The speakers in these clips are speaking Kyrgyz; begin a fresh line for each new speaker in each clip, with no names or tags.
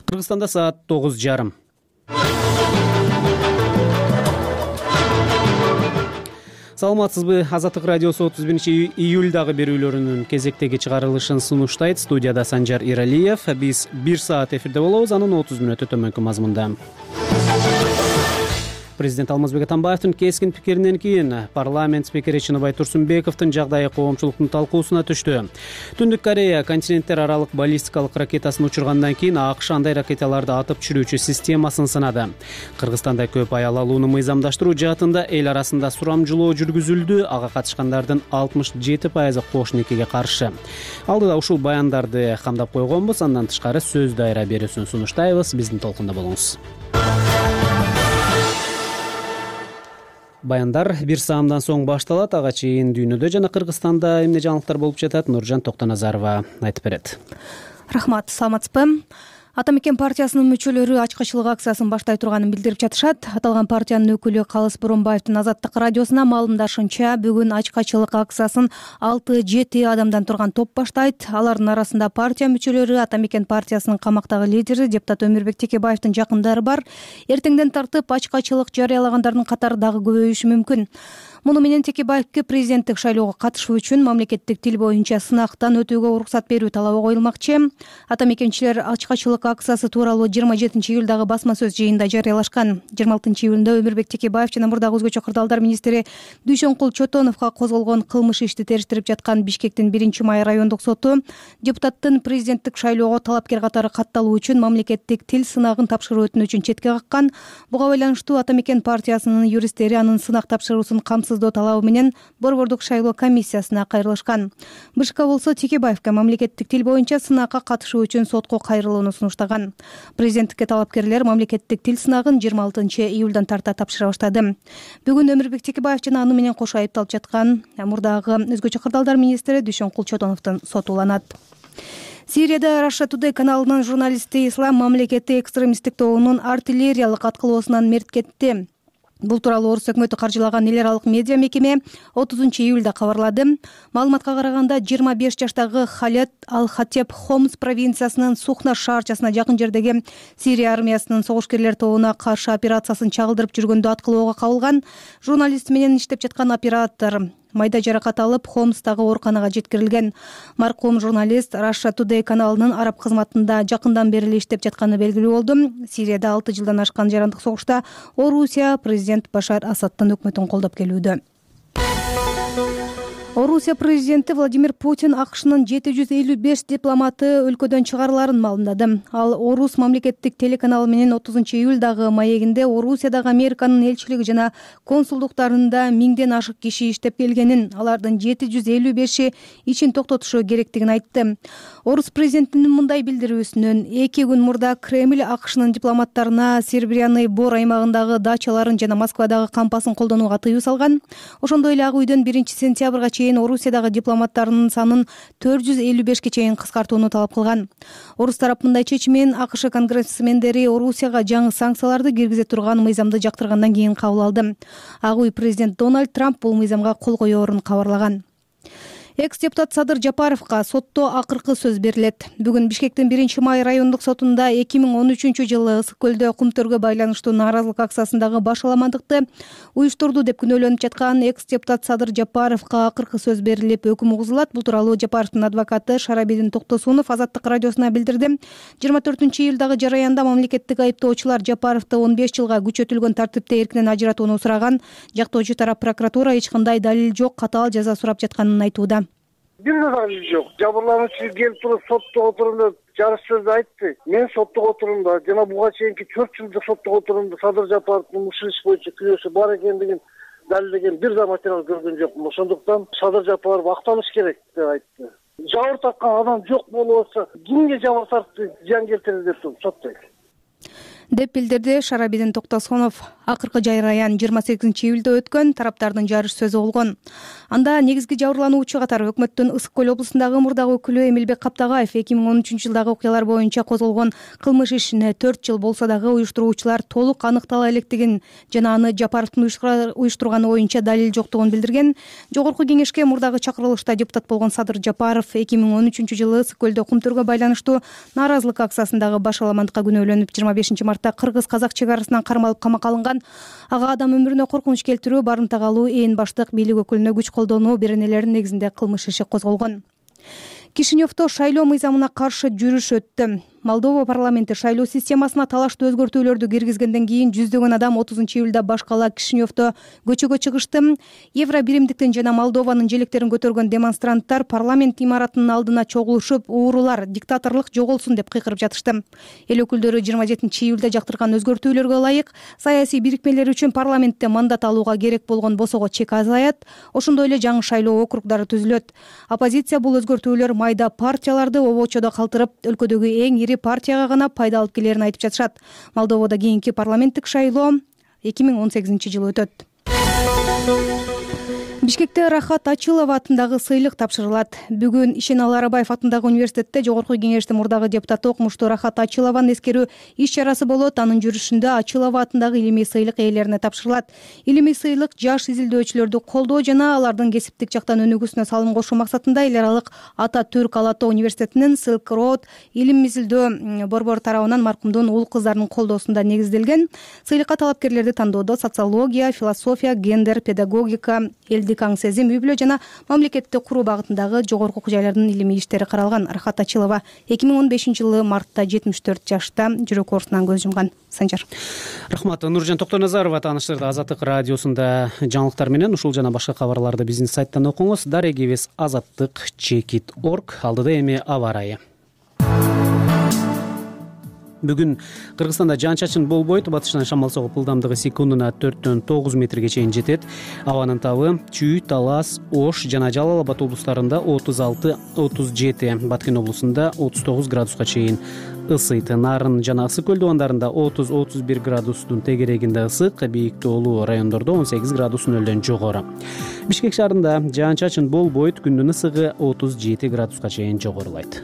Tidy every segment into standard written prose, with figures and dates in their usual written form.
Кыргызстанда саат 9:30. Саламатсызбы? Азаттык радиосу 31-июлдагы берүүлөрүнүн кезектеги чыгарылышын сунуштайт. Студияда Санжар Иралиев. Биз 1 саат эфирде болобуз. Анын 30 мүнөтү төмөнкү мазмунда. Президент Алмазбек Атамбаевдин кескин пикиринен кийин парламент спикери Чыныбай Турсунбековдун жагдайы коомчулуктун талкуусуна түштү. Түндүк Корея континенттер аралык баллистикалык ракетасын учургандан кийин АКШ андай ракеталарды атып түшүрүүчү системасын сынады. Кыргызстанда көп аял алууну мыйзамдаштыруу жаатында эл арасында сурамжылоо жүргүзүлдү. Ага катышкандардын 67% кош никеге каршы. Алдыда ушул баяндарды камдап койгонбуз. Андан тышкары сөз дайра берүүсүн сунуштайбыз. Биздин толкунда болуңуз. Баяндар 1 саамдан соң башталат. Ага чейин дүйнөдө жана Кыргызстанда эмне жаңылыктар болуп жатат? Нуржан Токтоназарова айтып берет.
Рахмат, саламатсызбы? Атамекен партиясынын мүчөлөрү ачкачылык акциясын баштай турганын билдирип жатышат. Аталган партиянын өкүлү Калыс Боронбаевдин Азаттык радиосуна маалымдашынча, бүгүн ачкачылык акциясын 6-7 адамдан турган топ баштайт. Алардын арасында партия мүчөлөрү, Атамекен партиясынын камактагы лидери депутат Өмүрбек Текебаевдин жакындары бар. Эртеңден тартып ачкачылык жарыялагандардын катары дагы көбөйүшү мүмкүн. Муну менен Текебаевке президенттик шайлоого катышуу үчүн мамлекеттик тил боюнча сынактан өтүүгө уруксат берүү талабы коюлмакчы. Атамекенчилер ачкачылык акциясы тууралуу 27-июлдагы басма сөз жыйынында жарыялашкан. 26-июлунда Өмүрбек Текебаев жана мурдагы өзгөчө кырдаалдар министри Дүйшөнкул Чотоновго козголгон кылмыш ишти териштирип жаткан Бишкектин 1-май райондук соту депутаттын президенттик шайлоого талапкер катары катталуу үчүн мамлекеттик тил сынагын тапшыруу өтүнүчүн четке каккан. Буга байланыштуу Атамекен партиясынын юристтери анын сынак тапшыруусун камсыздоо талабы менен Борбордук шайлоо комиссиясына кайрылышкан. БШК болсо Текебаевке мамлекеттик тил боюнча сынакка катышуу үчүн сотко кайрылууну сунуштаган. Президенттикке талапкерлер мамлекеттик тил сынагын 26-июлдан тарта тапшыра баштады. Бүгүн Өмүрбек Текебаев жана аны менен кошо айыпталып жаткан мурдагы өзгөчө кырдаалдар министри Дүйшөнкул Чотоновдун соту уланат. Сирияда Russia Today каналынын журналисти Ислам мамлекети экстремисттик тобунун артиллериялык аткылоосунан мерт кетти. Бул тууралуу орус өкмөтү каржылаган эл аралык медиа мекеме 30-июлда кабарлады. Маалыматка караганда 25 жаштагы Халет Ал-Хатеп Хомс провинциясынын Сухна шаарчасына жакын жердеги Сирия армиясынын согушкерлер тобуна каршы операциясын чагылдырып жүргөндө аткылоого кабылган. Журналист менен иштеп жаткан оператор майда жаракат алып, Хомстагы ооруканага жеткирилген. Маркум журналист Russia Today каналынын араб кызматында жакындан бери эле иштеп жатканы белгилүү болду. Сирияда 6 жылдан ашкан жарандык согушта Орусия президент Башар Асадтын өкмөтүн колдоп келүүдө. Орусия президенти Владимир Путин АКШнын 755 дипломаты өлкөдөн чыгарыларын маалымдады. Ал Орус мамлекеттик телеканалы менен 30-июлдагы маегинде Орусиядагы Американын элчилиги жана консулдуктарында 1000ден ашык киши иштеп келгенин, алардын 755и ишин токтотушу керектигин айтты. Орус президентинин мындай билдирүүсүнөн 2 күн мурда Кремль АКШнын дипломаттарына Серебряный Бор аймагындагы дачаларын жана Москвадагы кампасын колдонууга тыюу салган. Ошондой эле ак үйдөн 1-сентябрга чейин Орусиядагы дипломаттарынын санын 455ке чейин кыскартууну талап кылган. Орус тарап мындай чечимин АКШ конгрессмендери Орусияга жаңы санкцияларды киргизе турган мыйзамды жактыргандан кийин кабыл алды. Ак үй президент Дональд Трамп бул мыйзамга кол коёрун кабарлаган. Экс-депутат Садыр Жапаровго сотто акыркы сөз берилет. Бүгүн Бишкектин 1-май райондук сотунда 2013-жылы Ысык көлдө кумтөргө байланыштуу нааразылык акциясындагы башаламандыкты уюштурду деп күнөөлөнүп жаткан экс-депутат Садыр Жапаровго акыркы сөз берилип, өкүм угузулат. Бул тууралуу Жапаровдун адвокаты Шарабидин Токтосунов Азаттык радиосуна билдирди. 24-июлдагы жараянда мамлекеттик айыптоочулар Жапаровду 15 жылга күчөтүлгөн тартипте эркинен ажыратууну сураган. Жактоочу тарап прокуратура эч кандай далил жок, катаал жаза сурап жатканын айтууда.
Бир нерсе жок. Жабырлануучу келип туруп соттогу отурумда жарыш сөздү айтты. Мен соттогу отурумда жана буга чейинки 4 жылдык соттогу отурумда Садыр Жапаровдун ушул иш боюнча күнөөсү бар экендигин далилдеген бир да материал көргөн жокмун. Ошондуктан Садыр Жапаров акталыш керек деп айтты. Жабыр тарткан адам жок болбосо кимге жабыр тартты, зыян келтирди деп соттойт.
деп билдирди Шарабидин Токтосунов Акыркы жайраян 28-июлда өткөн тараптардын жарыш сөзү болгон. Анда негизги жабырлануучу катары өкмөттүн Ысык көл облусундагы мурдагы өкүлү Эмилбек Каптагаев 2013-жылдагы окуялар боюнча козголгон кылмыш ишине 4 жыл болсо дагы уюштуруучулар толук аныктала электигин жана аны Жапаровдун уюштурганы боюнча далил жоктугун билдирген. Жогорку кеңешке мурдагы чакырылышта депутат болгон Садыр Жапаров 2013-жылы Ысык көлдө кумтөргө байланыштуу нааразылык акциясындагы баш аламандыкка күнөөлөнүп 25-мартта кыргыз-казак чек арасынан кармалып камакка алынган. Ага адам өмүрүнө коркунуч келтирүү, барымтага алуу, ээн баштык, бийлик өкүлүнө күч колдонуу беренелеринин негизинде кылмыш иши козголгон. Кишиневдо шайлоо мыйзамына каршы жүрүш өттү. Молдова парламенти шайлоо системасына талаштуу өзгөртүүлөрдү киргизгенден кийин жүздөгөн адам 30-июлда баш кала Кишиневдо көчөгө чыгышты. Евро биримдиктин жана Молдованын желектерин көтөргөн демонстранттар парламент имаратынын алдына чогулушуп, уурулар, диктаторлук жоголсун деп кыйкырып жатышты. Эл өкүлдөрү 27-июлда жактырган өзгөртүүлөргө ылайык саясий бирикмелер үчүн парламентте мандат алууга керек болгон босого чек азаят, ошондой эле жаңы шайлоо округдары түзүлөт. Оппозиция бул өзгөртүүлөр майда партияларды обочодо калтырып, өлкөдөгү эң ири партияга гана пайда алып келерин айтып жатышат. Молдовада кийинки парламенттик шайлоо 2018-жылы өтөт. Бишкекте Рахат Ачилова атындагы сыйлык тапшырылат. Бүгүн Ишеналы Арабаев атындагы университетте Жогорку кеңештин мурдагы депутаты окумуштуу Рахат Ачилованы эскерүү иш чарасы болот. Анын жүрүшүндө Ачилова атындагы илимий сыйлык ээлерине тапшырылат. Илимий сыйлык жаш изилдөөчүлөрдү колдоо жана алардын кесиптик жактан өнүгүүсүнө салым кошуу максатында эл аралык Ата Түрк Ала Тоо университетинин Silk Road илим изилдөө борбору тарабынан маркумдун уул кыздарынын колдоосунда негизделген. Сыйлыкка талапкерлерди тандоодо социология, философия, гендер, педагогика, элдик аң сезим, үй бүлө жана мамлекетти куруу багытындагы жогорку окуу жайлардын илимий иштери каралган. Рахат Ачилова 2015-жылы мартта 74 жашта жүрөк оорусунан көз жумган. Санжар.
Рахмат. Нуржан Токтоназарова тааныштырды Азаттык радиосунда жаңылыктар менен. Ушул жана башка кабарларды биздин сайттан окуңуз. Дарегибиз azattik.org. Алдыда эми аба ырайы. Бүгүн Кыргызстанда жаан-чачын болбойт. Батыштан шамал согуп ылдамдыгы секундуна 4-төн 9 метрге чейин жетет. Абанын табы Чүй, Талас, Ош жана Жалал Абад облустарында 36-37, Баткен облусунда 39 градуска чейин ысыйт. Нарын жана Ысык көл дубандарында 30-31 градустун тегерегинде ысык, бийик тоолуу райондордо 18 градус нөлдөн жогору. Бишкек шаарында жаан-чачын болбойт. Күндүн ысыгы 37 градуска чейин жогорулайт.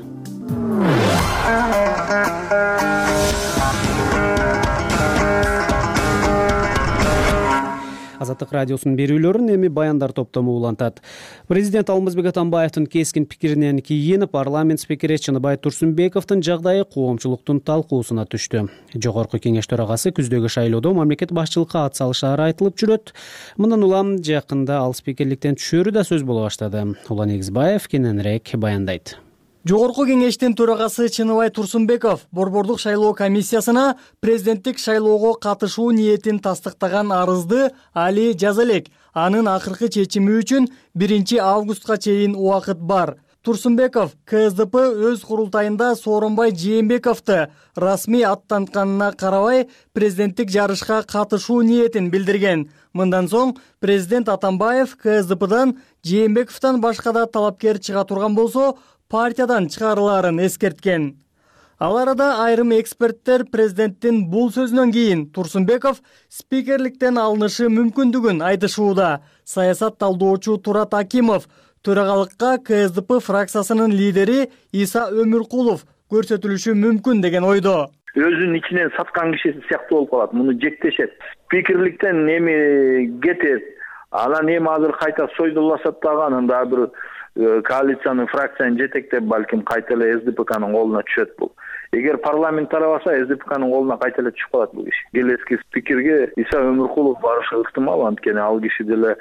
Азаттык радиосунун берүүлөрүн эми баяндар топтому улантат. Президент Алмазбек Атамбаевдин кескин пикиринен кийин парламент спикери Чыныбай Турсунбековдун жагдайы коомчулуктун талкуусуна түштү. Жогорку кеңеш төрагасы күздөгү шайлоодо мамлекет башчылыкка ат салышаары айтылып жүрөт. Мындан улам жакында ал спикерликтен түшөрү да сөз боло баштады. Улан Негизбаев кененирээк баяндайт.
Жогорку кеңештин төрагасы Чыныбай Турсунбеков борбордук шайлоо комиссиясына президенттик шайлоого катышуу ниетин тастыктаган арызды али жаза элек. Анын акыркы чечими үчүн 1 августка чейин убакыт бар. Турсунбеков КСДП өз курултайында Сооронбай Жээнбековду расмий аттантканына карабай президенттик жарышка катышуу ниетин билдирген. Мындан соң президент Атамбаев КСДПдан Жээнбековдон башка да талапкер чыга турган болсо партиядан чыгарылаарын эскерткен. Ал арада айрым эксперттер президенттин бул сөзүнөн кийин Турсунбеков спикерликтен алынышы мүмкүндүгүн айтышууда. Саясат талдоочу Турат Акимов төрагалыкка КСДП фракциясынын лидери Иса Өмүркулов көрсөтүлүшү мүмкүн деген ойдо.
Өзүнүн ичинен саткан кишиси сыяктуу болуп калат. Муну жектешет. Спикерликтен эми кетет. Анан эми азыр кайта сойдулашат дагы, анан дагы бир коалициянын фракцияны жетектеп балким кайта эле СДПКнын колуна түшөт бул. Эгер парламент тарабаса СДПКнын колуна кайта эле түшүп калат бул киши. Келески спикерге Иса Өмүркулов барышы ыктымал, анткени ал киши деле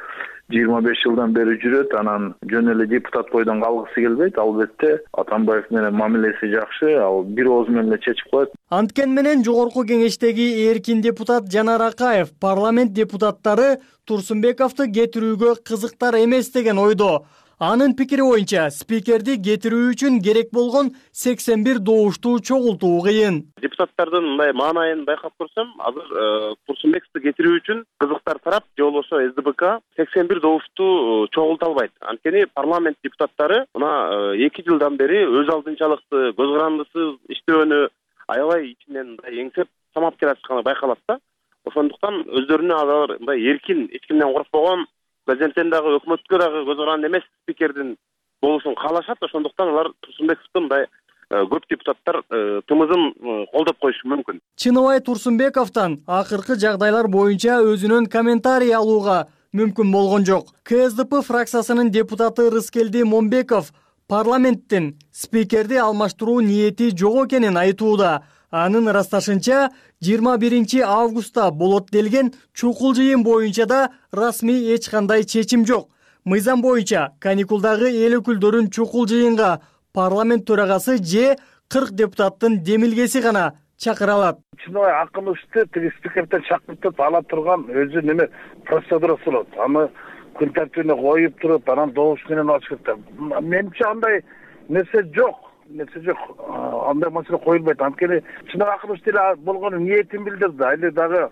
25 жылдан бери жүрөт, анан жөн эле депутат бойдон калгысы келбейт. Албетте Атамбаев менен мамилеси жакшы, ал бир ооз менен эле чечип коет.
Анткен менен жогорку кеңештеги эркин депутат Жанар Акаев парламент депутаттары Турсунбековду кетирүүгө кызыктар эмес деген ойдо. Анын пикири боюнча спикерди кетирүү үчүн керек болгон 81 добушту чогултуу кыйын.
Депутаттардын мындай маанайын байкап көрсөм, азыр Турсунбековду кетирүү үчүн кызыктар тарап же болбосо СДПК 81 добушту чогулта албайт. Анткени парламент депутаттары мына 2 жылдан бери өз алдынчалыкты, көз карандысыз иштөөнү аябай ичинен эңсеп самап келе жатканы байкалат да. ошондуктан өздөрүнө алар мындай эркин, эч кимден коркпогон, президенттен дагы өкмөткө дагы көз каранды эмес спикердин болушун каалашат. Ошондуктан алар Турсунбековду мындай көп депутаттар тымызын колдоп коюшу мүмкүн.
Чыныбай Турсунбековдон акыркы жагдайлар боюнча өзүнүн комментарий алууга мүмкүн болгон жок. КСДП фракциясынын депутаты Рыскелди Момбеков парламенттин спикерди алмаштыруу ниети жок экенин айтууда. Анын ырасташынча 21 августта болот делген чукул жыйын боюнча да расмий эч кандай чечим жок. Мыйзам боюнча каникулдагы эл өкүлдөрүн чукул жыйынга парламент төрагасы же 40 депутаттын демилгеси гана чакыра алат.
Чыныбай Акымовду тиги спикерден чакыртып ала турган өзү неме процедурасы болот. Аны күн тартибине коюп туруп, анан добуш менен алыш керек. Менимче андай нерсе жок. Андай маселе коюлбайт. Анткени Чыныбай Акымов деле болгону ниетин билдирди. Али дагы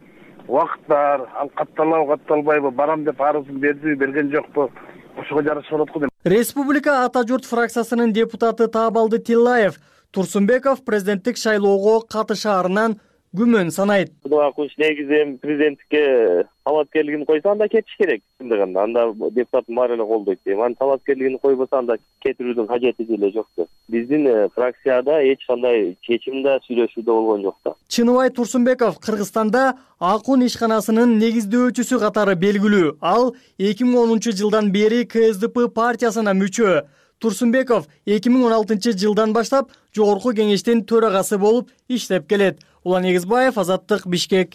убакыт бар, ал катталабы, катталбайбы, барам деп арызын бердиби, берген жокпу? Ошого жараша болот го.
Республика Ата журт фракциясынын депутаты Таабалды Тиллаев Турсунбеков президенттик шайлоого катышаарынан күмөн санайт.
Чыныбай Акымов негизи президенттикке талапкерлигин койсо анда кетиш керек. Анда депутаттын баары эле колдойт дейм. Анын талапкерлигин койбосо анда кетирүүнүн кажети деле жок да. Биздин фракцияда эч кандай чечимде, сүйлөшүүдө болгон жок да.
Чыныбай Турсунбеков Кыргызстанда Акун ишканасынын негиздөөчүсү катары белгилүү. Ал 2010 жылдан бери КСДП партиясына мүчө. Турсунбеков 2016 жылдан баштап Жогорку кеңештин төрагасы болуп иштеп келет. Улан Эгизбаев, Азаттык, Бишкек.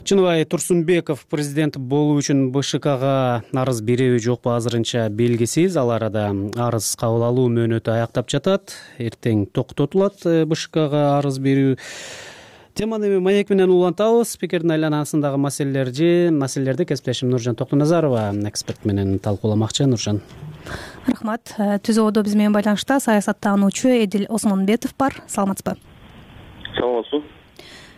Чыныбай Турсунбеков президент болуу үчүн БШКга арыз береби жокпу азырынча белгисиз. Ал арада арыз кабыл алуу мөөнөтү аяктап жатат. Эртең токтотулат БШКга арыз берүү. Теманы маек менен улантабыз. Спикердин айланасындагы маселелерди кесиптешим Нуржан Токтоназарова эксперт менен талкууламакчы. Нуржан.
Рахмат. Түзөөдө биз менен байланышта саясаттануучу Эдил Осмонбетов бар. Саламатсызбы?
Саламатсызбы.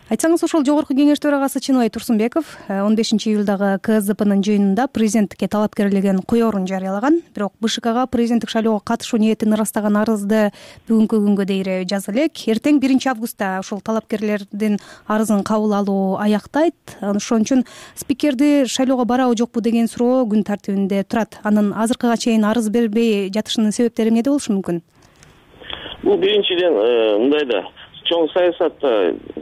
Айтсаңыз, ошол Жогорку кеңеш төрагасы Чыныбай Турсунбеков 15 июлдагы КСДПнын жыйынында президенттикке талапкерлигин коерун жарыялаган. Бирок БШКга президенттик шайлоого катышуу ниетин ырастаган арызды бүгүнкү күнгө дейин жаза элек. Эртең 1 августта ошол талапкерлердин арызын кабыл алуу аяктайт. Ошон үчүн спикерди шайлоого барабы жокпу деген суроо күн тартибинде турат. Анын азыркыга чейин арыз бербей жатышынын себептери эмнеде болушу мүмкүн?
Бул биринчиден мындай да чоң саясатта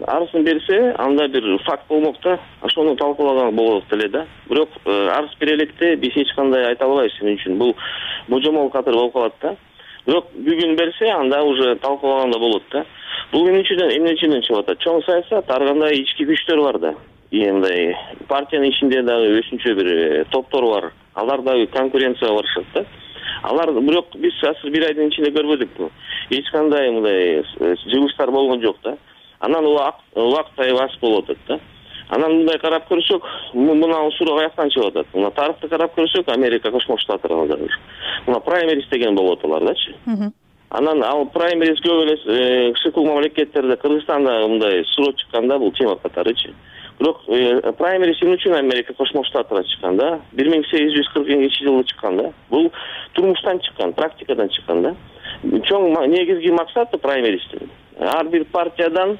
арызын берсе, анда бир факт болмок да, ошону талкуулаган болот эле да. Бирок арыз бере электе биз эч кандай айта албайбыз, эмне үчүн бул божомол катары болуп калат да. Бирок бүгүн берсе, анда уже талкуулаганда болот да. Бул эмне үчүн чыгып атат? Чоң саясат ар кандай ички күчтөр бар да. Мындай партиянын ичинде дагы өзүнчө бир топтор бар. Алар дагы конкуренцияга барышат да. Алар бирок биз азыр 1 айдын ичинде көрбөдүкпү. Эч кандай мындай жыгылыштар болгон жок да. Анан убакыт аз болуп атат да. Анан мындай карап көрсөк, мына суроо каяктан чыгып атат? Мына тарыхты карап көрсөк, Америка Кошмо Штаттарында мына праймериз деген болот алардачы. Анан ал праймериз көп эле кышкыл мамлекеттерде, Кыргызстанда мындай суроо чыкканда бул тема катарычы. Бирок праймериз эмне үчүн Америка Кошмо Штаттарына чыккан да? 1840-жылы чыккан да. Бул турмуштан чыккан, практикадан чыккан да. Чоң негизги максаты праймеристин ар бир партиядан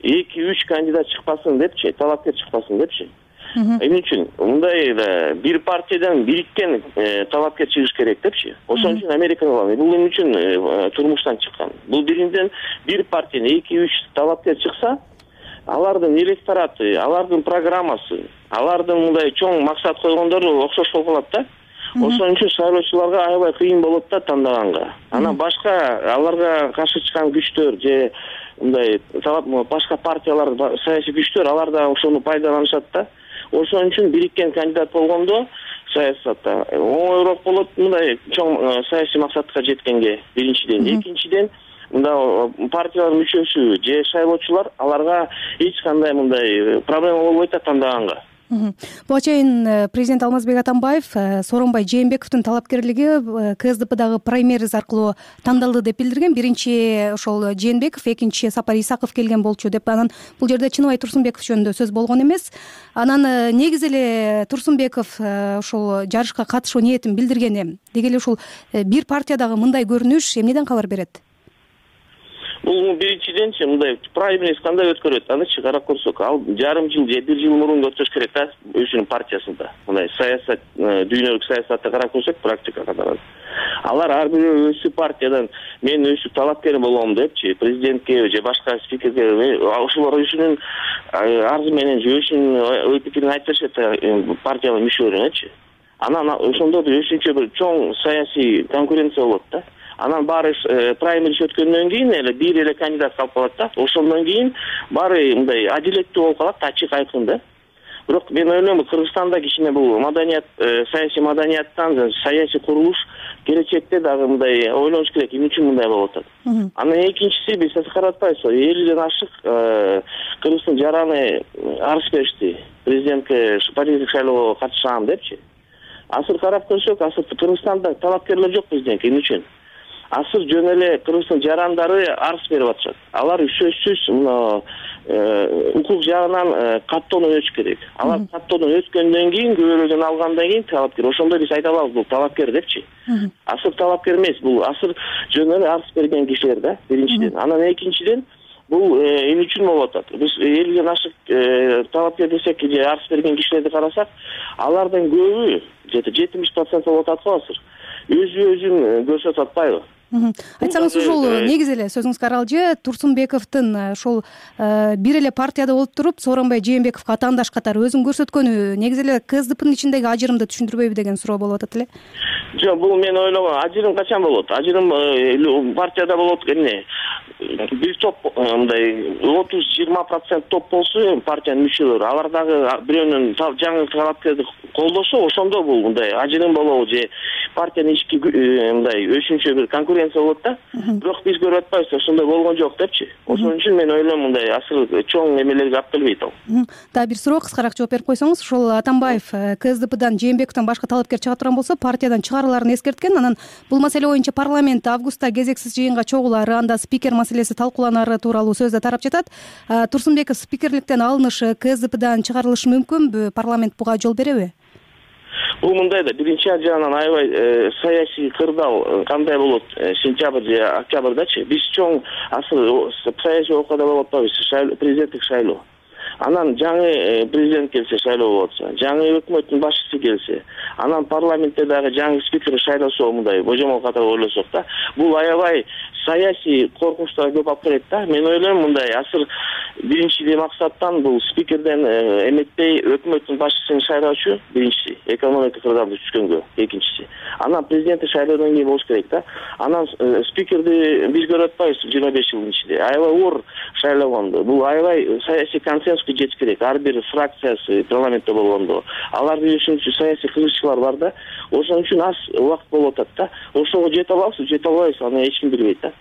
2-3 кандидат чыкпасын депчи, талапкер чыкпасын депчи. Эмне үчүн? Мындай да бир партиядан бириккен талапкер чыгыш керек депчи. Ошон үчүн Америкага бул эмне үчүн турмуштан чыккан. Бул биринчиден бир партиядан 2-3 талапкер чыкса, алардын электораты, алардын программасы, алардын мындай чоң максат койгондору окшош болуп калат да. Ошон үчүн шайлоочуларга аябай кыйын болот да тандаганга. Анан башка аларга каршы чыккан күчтөр же мындай башка партиялар, саясий күчтөр алар да ошону пайдаланышат да. Ошон үчүн бириккен кандидат болгондо саясатта оңоюраак болот мындай чоң саясий максатка жеткенге биринчиден. Экинчиден мында партиялар мүчөсү же шайлоочулар аларга эч кандай мындай проблема болбойт да тандаганга.
Буга чейин президент Алмазбек Атамбаев Сооронбай Жээнбековдун талапкерлиги КСДПдагы праймериз аркылуу тандалды деп билдирген. Биринчи ошол Жээнбеков, экинчи Сапар Исаков келген болчу деп. Анан бул жерде Чыныбай Турсунбеков жөнүндө сөз болгон эмес. Анан негизи эле Турсунбеков ошол жарышка катышуу ниетин билдиргени. Деги эле ушул бир партиядагы мындай көрүнүш эмнеден кабар берет?
Бул биринчиденчи мындай праймериз кандай өткөрөт, анычы карап көрсөк, ал жарым жыл же 1 жыл мурун өтүш керек да өзүнүн партиясында. Мындай саясат, дүйнөлүк саясатты карап көрсөк, практикага алар ар бирөө өзү партиядан мен өзү талапкер болом депчи, президентке же башка спикерге ошолор өзүнүн арзы менен же өзүнүн ой пикирин айтып беришет партиянын мүчөлөрүнөчү. Анан ошондо өзүнчө бир чоң саясий конкуренция болот да. Анан баары праймериз өткөндөн кийин эле бир эле кандидат калып калат да. Ошондон кийин баары мындай адилеттүү болуп калат, ачык айкын да. Бирок мен ойлойм, Кыргызстанда кичине бул маданият, саясий маданияттан саясий курулуш келечекте дагы мындай ойлонуш керек, эмне үчүн мындай болуп атат. Анан экинчиси, биз карап атпайбызбы, 50ден ашык Кыргыздын жараны арыз беришти. Президентке парламенттик шайлоого катышам депчи. Азыр карап көрсөк, азыр Кыргызстанда талапкерлер жок президентке, эмне үчүн? Азыр жөн эле Кыргыздын жарандары арыз берип атышат. Алар сөзсүз мына укук жагынан каттоодон өтүш керек. Алар каттоодон өткөндөн кийин, көбөлөдөн алгандан кийин талапкер. Ошондо биз айта алабыз, бул талапкер депчи. Азыр талапкер эмес, бул азыр жөн эле арыз берген кишилер да, биринчиден. Анан экинчиден, бул эмне үчүн болуп атат? Биз 50ден ашык талапкер десек, же арыз берген кишилерди карасак, алардын көбү, же 70% болуп атат го азыр. Өзүн көрсөтүп атпайбы?
Айтсаңыз, ушул негизи эле сөзүңүзгө аралжы Турсунбековдун ошол бир эле партияда болуп туруп, Сооронбай Жээнбековго атаандаш катары өзүн көрсөткөнү негизи эле КСДПнын ичиндеги ажырымды түшүндүрбөйбү деген суроо болуп атат эле.
Жок, бул мен ойлогом, ажырым качан болот? Ажырым партияда болот, эмне? Бир топ мындай 30-20% топ болсо партиянын мүчөлөрү, алар дагы бирөөнүн жаңы талапкерди колдосо, ошондо бул мындай ажырым болобу же партиянын ички мындай өзүнчө бир конкуренция болот да. Бирок биз көрүп атпайбыз, ошондой болгон жок депчи. Ошон үчүн мен ойлойм, мындай асыл чоң эмелерге алып келбейт ал.
Дагы бир суроо кыскараак жооп берип койсоңуз, ошол Атамбаев КСДПдан Жээнбековдон башка талапкер чыга турган болсо, партиядан чыгарыларын эскерткен. Анан бул маселе боюнча парламент августта кезексиз жыйынга чогулары, анда спикер маселеси талкууланары тууралуу сөз да тарап жатат. Турсунбеков спикерликтен алынышы КСДПдан чыгарылышы мүмкүнбү? Парламент буга жол береби?
Бул мындай да, биринчи жагынан аябай саясий кырдаал кандай болот сентябрь же октябрдачы. Биз чоң асыл саясий окуяда болуп атпайбыз, президенттик шайлоо. Анан жаңы президент келсе, шайлоо болот, жаңы өкмөттүн башчысы келсе, анан парламентте дагы жаңы спикер шайлосо, мындай божомол катары ойлосок да, бул аябай саясий коркунучтар көп алып келет да. Мен ойлойм, мындай асыр биринчи максаттан бул спикерден эметпей өкмөттүн башчысын шайлоочу, биринчиси экономика кырдаалды түшкөнгө, экинчиси. Анан президентти шайлоодон кийин болуш керек да. Анан спикерди биз көрүп атпайбыз 25 жылдын ичинде. Аябай оор шайлогондо. Бул аябай саясий консенсуске жетиш керек. Ар бир фракциясы парламентте болгондо. Алардын үчүнчү саясий кызыкчылар бар да. Ошон үчүн аз убакыт болуп атат да. Ошого жете алабызбы, жете албайбыз, аны эч ким билбейт да.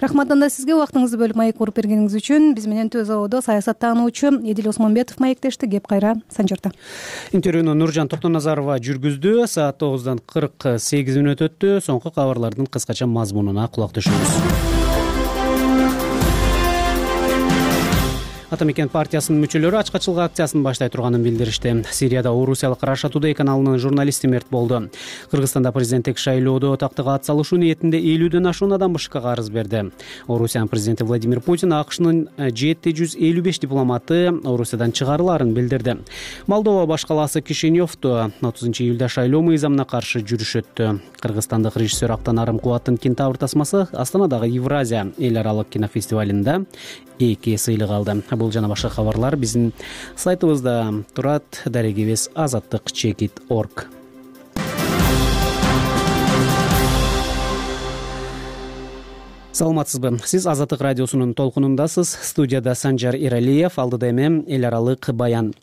Рахмат анда сизге убактыңызды бөлүп маек уруп бергениңиз үчүн. Биз менен Төз абоодо саясаттануучу Эдил Осмонбетов маектешти. Кеп кайра Санжарда.
Интервьюну Нуржан Токтоназарова жүргүздү. Саат 9:48 өттү. Соңку кабарлардын кыскача мазмунуна кулак түшүңүз. Атамекен партиясынын мүчөлөрү ачкачылык акциясын баштай турганын билдиришти. Сирияда орусиялык Раша Тудей каналынын журналисти мерт болду. Кыргызстанда президенттик шайлоодо тактыга ат салышуу ниетинде 50ден ашуун адам БШКга арыз берди. Орусиянын президенти Владимир Путин АКШнын 755 дипломаты Орусиядан чыгарыларын билдирди. Молдова башкаласы Кишиневдо 30-июлда шайлоо мыйзамына каршы жүрүш өттү. Кыргызстандык режиссер Актан Арымкубаттын Кентавр тасмасы Астанадагы Евразия эл аралык кинофестивалында 2 сыйлык алды. Бул жана башка кабарлар биздин сайтыбызда турат. Дарегибиз azattik.org. Саламатсызбы? Сиз Азаттык радиосунун толкунундасыз. Студияда Санжар Иралиев, алдыда эми эл аралык баян.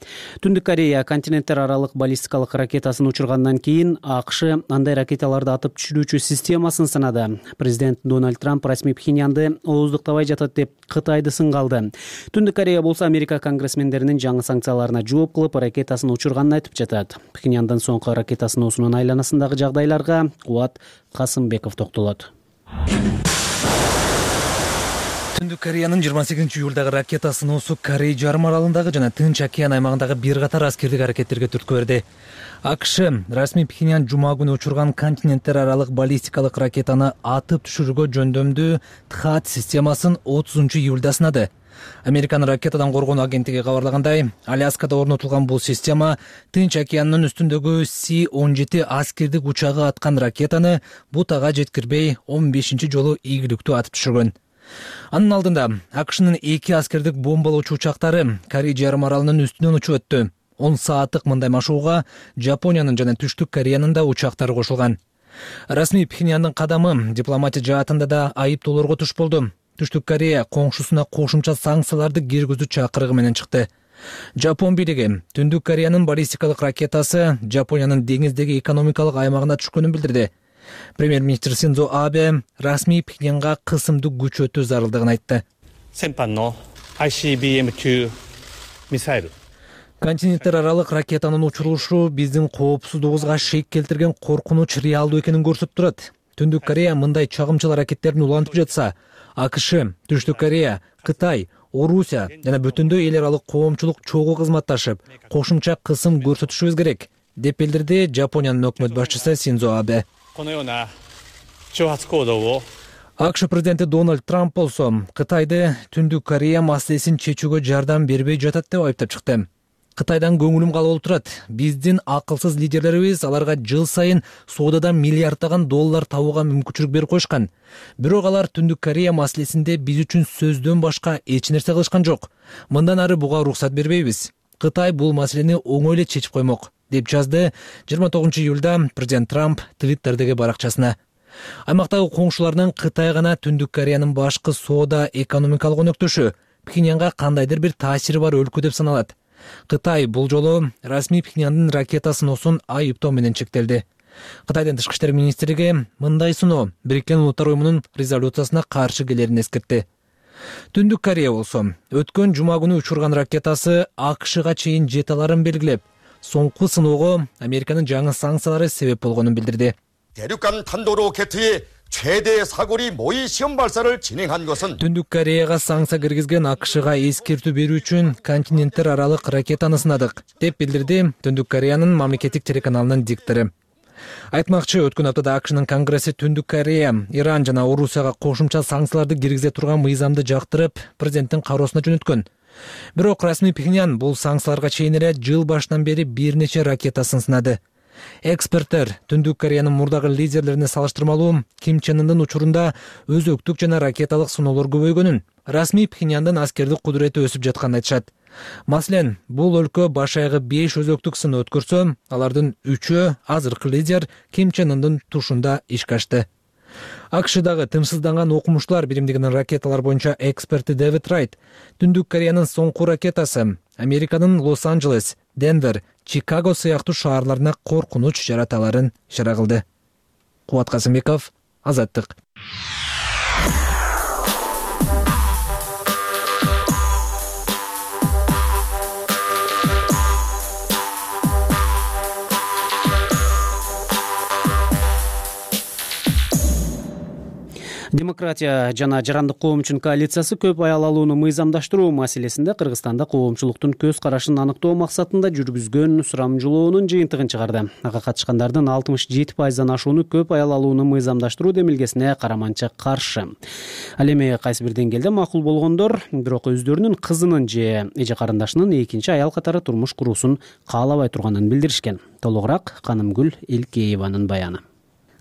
Түндүк Корея континенттер аралык баллистикалык ракетасын учургандан кийин АКШ андай ракеталарды атып түшүрүүчү системасын сынады. Президент Дональд Трамп расмий Пхеньянды ооздуктабай жатат деп Кытайды сынга алды. Түндүк Корея болсо Америка конгрессмендеринин жаңы санкцияларына жооп кылып ракетасын учурганын айтып жатат. Пхеньяндын соңку ракета сыноосунун айланасындагы жагдайларга Кубат Касымбеков токтолот.
Түндүк Кореянын 28-июлдагы ракета сыноосу Корей жарым аралындагы жана Тынч океан аймагындагы бир катар аскердик аракеттерге түрткү берди. АКШ расмий Пхеньян жума күнү учурган континенттер аралык баллистикалык ракетаны атып түшүрүүгө жөндөмдүү ТХААД системасын 30-июлда сынады. Американын ракетадан коргонуу агенттиги кабарлагандай, Аляскада орнотулган бул система Тынч океанынын үстүндөгү С-17 аскердик учагы аткан ракетаны бутага жеткирбей 15-чи жолу ийгиликтүү атып түшүргөн. Анын алдында АКШнын 2 аскердик бомбалоочу учактары Корей жарым аралынын үстүнөн учуп өттү. 10 сааттык мындай машууга Жапониянын жана Түштүк Кореянын да учактары кошулган. Расмий Пхеньяндын кадамы дипломатия жаатында да айыптоолорго туш болду. Түштүк Корея коңшусуна кошумча санкцияларды киргизүү чакырыгы менен чыкты. Жапон бийлиги Түндүк Кореянын баллистикалык ракетасы Жапониянын деңиздеги экономикалык аймагына түшкөнүн билдирди. Премьер-министр Синдзо Абе расмий Пхеньянга кысымдуу күчөтүү зарылдыгын айтты.
Сенпанно ICBM-2 мисайл.
Континенттер аралык ракетанын учурулушу биздин коопсуздугубузга шек келтирген коркунуч реалдуу экенин көрсөтүп турат. Түндүк Корея мындай чагымчыл аракеттерин улантып жатса, АКШ, Түштүк Корея, Кытай, Орусия жана бүтүндөй эл аралык коомчулук чогуу кызматташып, кошумча кысым көрсөтүшүбүз керек, деп билдирди Жапониянын өкмөт башчысы Синдзо Абе. АКШ президенти Дональд Трамп болсо Кытайды Түндүк Корея маселесин чечүүгө жардам бербей жатат деп айыптап чыкты. Кытайдан көңүлүм калып турат. Биздин акылсыз лидерлерибиз аларга жыл сайын соодадан миллиарддаган доллар табууга мүмкүнчүлүк берип коюшкан. Бирок алар Түндүк Корея маселесинде биз үчүн сөздөн башка эч нерсе кылышкан жок. Мындан ары буга уруксат бербейбиз. Кытай бул маселени оңой эле чечип коймок, деп жазды 29-июлда президент Трамп Твиттердеги баракчасына. Аймактагы коңшуларынын Кытай гана Түндүк Кореянын башкы соода экономикалык өнөктөшү, Пхеньянга кандайдыр бир таасири бар өлкө деп саналат. Кытай бул жолу расмий Пхеньяндын ракета сыноосун айыптоо менен чектелди. Кытайдын тышкы иштер министрлиги мындай сыноо Бириккен Улуттар уюмунун резолюциясына каршы келерин эскертти. Түндүк Корея болсо өткөн жума күнү учурган ракетасы АКШга чейин жете аларын белгилеп, соңку сыноого Американын жаңы санкциялары себеп болгонун билдирди.
대륙간 탄도로 개투의 최대 사거리 모의 시험 발사를 진행한 것은
Түндүк Кореяга санкция киргизген АКШга эскертүү берүү үчүн континенттер аралык ракетаны сынадык, деп билдирди Түндүк Кореянын мамлекеттик телеканалынын диктору. Айтмакчы, өткөн аптада АКШнын Конгресси Түндүк Корея, Иран жана Орусияга кошумча санкцияларды киргизе турган мыйзамды жактырып, президенттин кароосуна жөнөткөн. Бирок расмий Пхеньян бул санкцияларга чейин эле жыл башынан бери бир нече ракетасын сынады. Эксперттер Түндүк Кореянын мурдагы лидерлерине салыштырмалуу Ким Чен Ындын учурунда өзөктүк жана ракеталык сыноолор көбөйгөнүн, расмий Пхеньяндын аскердик кудурети өсүп жатканын айтышат. Маселен, бул өлкө баш аягы 5 өзөктүк сыноо өткөрсө, алардын 3-өө азыркы лидер Ким Чен Ындын тушунда ишке ашты. АКШдагы тымсызданган окумуштуулар биримдигинин ракеталар боюнча эксперти Дэвид Райт Түндүк Кореянын соңку ракетасы Американын Лос-Анджелес, Денвер, Чикаго сыяктуу шаарларына коркунуч жарата аларын ишара кылды. Кубат Касымбеков, Азаттык.
Демократия жана жарандык коом үчүн коалициясы көп аял алууну мыйзамдаштыруу маселесинде Кыргызстанда коомчулуктун көз карашын аныктоо максатында жүргүзгөн сурамжылоонун жыйынтыгын чыгарды. Ага катышкандардын 67%дан ашууну көп аял алууну мыйзамдаштыруу демилгесине караманча каршы. Ал эми кайсы бир деңгээлде макул болгондор, бирок өздөрүнүн кызынын же эже карындашынын экинчи аял катары турмуш куруусун каалабай турганын билдиришкен. Толугураак Канымгүл Элкееванын баяны.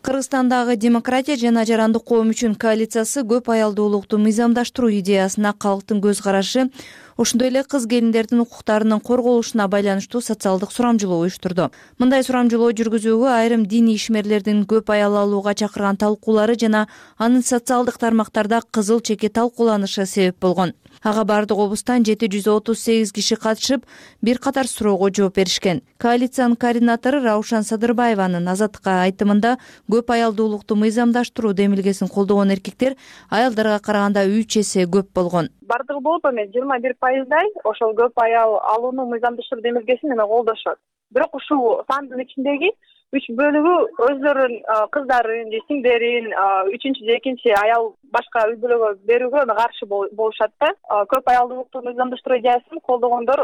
Кыргызстандагы демократия жана жарандык коом үчүн коалициясы көп аялдуулукту мыйзамдаштыруу идеясына калктын көз карашы, ошондой эле кыз келиндердин укуктарынын корголушуна байланыштуу социалдык сурамжылоо уюштурду. Мындай сурамжылоо жүргүзүүгө айрым диний ишмерлердин көп аял алууга чакырган талкуулары жана анын социалдык тармактарда кызыл чеки талкууланышы себеп болгон. Ага бардык облустан 738 киши катышып, бир катар суроого жооп беришкен. Коалициянын координатору Раушан Садырбаеванын Азаттыкка айтымында көп аялдуулукту мыйзамдаштыруу демилгесин колдогон эркектер аялдарга караганда 3 эсе көп болгон.
Бардыгы болуп эми 21%дай ошол көп аял алууну мыйзамдаштыруу демилгесин эме колдошот. Бирок ушул сандын ичиндеги 3 бөлүгү өздөрүнүн кыздарын же сиңдерин, 3-же 2 аял башка үй бүлөгө берүүгө каршы болушат да. Көп аялдуулукту мыйзамдаштыруу идеясын колдогондор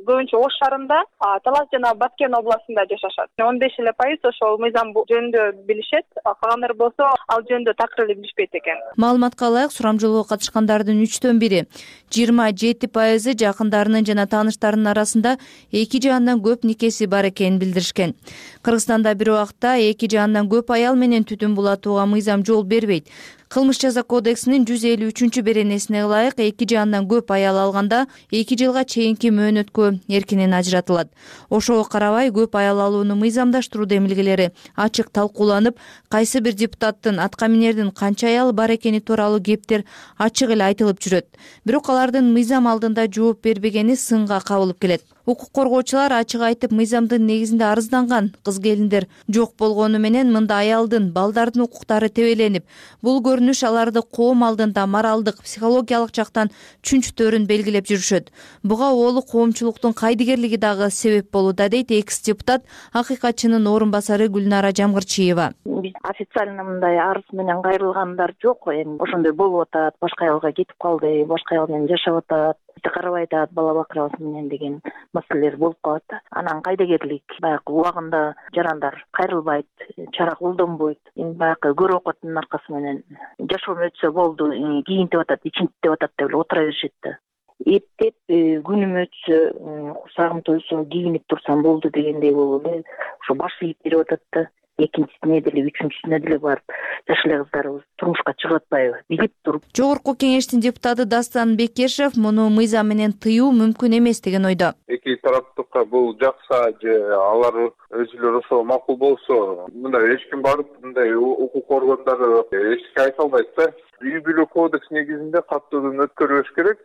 көбүнчө Ош шаарында, Талас жана Баткен областында жашашат. 15% ошол мыйзам жөнүндө билишет, калгандары болсо ал жөнүндө такыр эле билишпейт экен.
Маалыматка ылайык, сурамжылоого катышкандардын 3/1, 27% жакындарынын жана тааныштарынын арасында эки же андан көп никеси бар экенин билдиришкен. Кыргызстанда бир убакта эки же андан көп аял менен түтүн булатууга мыйзам жол бербейт. Кылмыш жаза кодексинин 153 беренесине ылайык эки же андан көп аял алганда 2 жылга чейинки мөөнөткө эркинен ажыратылат. Ошого карабай көп аял алууну мыйзамдаштыруу демилгелери ачык талкууланып, кайсы бир депутаттын атка минердин канча аялы бар экени тууралуу кептер ачык эле айтылып жүрөт. Бирок алардын мыйзам алдында жооп бербегени сынга кабылып келет. Укук коргоочулар ачык айтып, мыйзамдын негизинде арызданган кыз-келиндер жок болгону менен мында аялдын, балдардын укуктары тебеленип, бул көрүнүш аларды коом алдында моралдык, психологиялык жактан чүнчтөрүн белгилеп жүрүшөт. Буга оолу коомчулуктун кайдыгерлиги дагы себеп болууда, дейт экс-депутат, акыйкатчынын орун басары Гүлнара Жамгырчиева.
Биз официально мындай арыз менен кайрылгандар жок. Эми ошондой болуп атат, башка аялга кетип калды, башка аял менен жашап атат, карабай атат, бала бакырабыз менен деген маселелер болуп калат. Анан кайдыгерлик баягы убагында жарандар кайрылбайт, чара колдонбойт. Эми баягы көрүп окуттун аркасы менен жашоом өтсө болду, кийинтип атат, ичинтип атат деп эле отура беришет да. Эптеп күнүм өтсө, курсагым тойсо кийинип турсам болду дегендей болуп эле ошо баш ийип берип атат да. Экинчисине деле, үчүнчүсүнө деле барып жаш эле кыздарыбыз турмушка чыгып атпайбы, билип туруп.
Жогорку кеңештин депутаты Дастан Бекешев муну мыйзам менен тыюу мүмкүн эмес деген ойдо.
Эки тараптыкка бул жакса же алар өзүлөрү ошо макул болсо, мындай эч ким барып мындай укук органдары эчке айта албайт да. Үй бүлө кодекс негизинде каттуудан өткөрүлүш керек.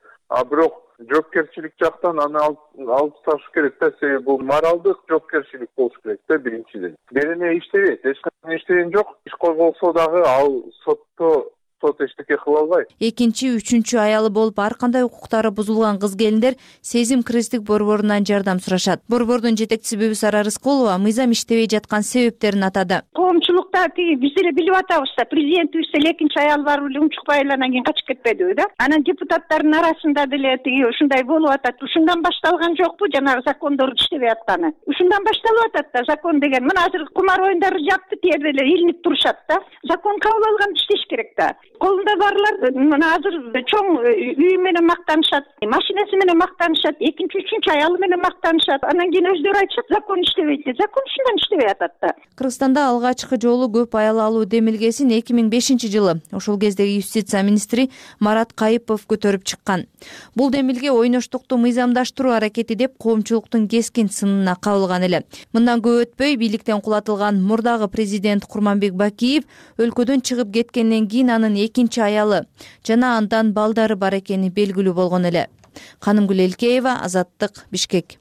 Бирок жоопкерчилик жактан аны алып ташташ керек да. Себеби бул моралдык жоопкерчилик болуш керек да биринчиден. Берене иштебейт, эч кандай иштеген жок. Иш козголсо дагы ал сот эчтеке кыла албайт.
Экинчи, үчүнчү аялы болуп ар кандай укуктары бузулган кыз-келиндер сезим кризистик борборунан жардам сурашат. Борбордун жетекчиси Бүбүсара Рыскулова мыйзам иштебей жаткан себептерин атады.
Коомчулукта биз эле билип атабыз да, президентибиз деле экинчи аял бар эле унчукпай эле анан кийин качып кетпедиби да. Анан депутаттардын арасында деле ушундай болуп атат. Ушундан башталган жокпу жанагы закондор иштебей атканы? Ушундан башталып атат да закон деген. Мына азыр кумар оюндары жапты, тиерде эле илинип турушат да. Закон кабыл алган иштеш керек да. Колунда барлар мына азыр чоң үй менен мактанышат, машинеси менен мактанышат, экинчи, үчүнчү аялы менен мактанышат. Анан кийин өздөрү айтышат, закон иштебейт деп. Закон ушундан иштебей атат да.
Кыргызстанда алгачкы жолу көп аял алуу демилгесин 2005 жылы ошол кездеги юстиция министри Марат Кайыпов көтөрүп чыккан. Бул демилге ойноштукту мыйзамдаштыруу аракети деп коомчулуктун кескин сынына кабылган эле. Мындан көп өтпөй бийликтен кулатылган мурдагы президент Курманбек Бакиев өлкөдөн чыгып кеткенден кийин анын экинчи аялы жана андан балдары бар экени белгилүү болгон эле. Канымгүл Элкеева, Азаттык, Бишкек.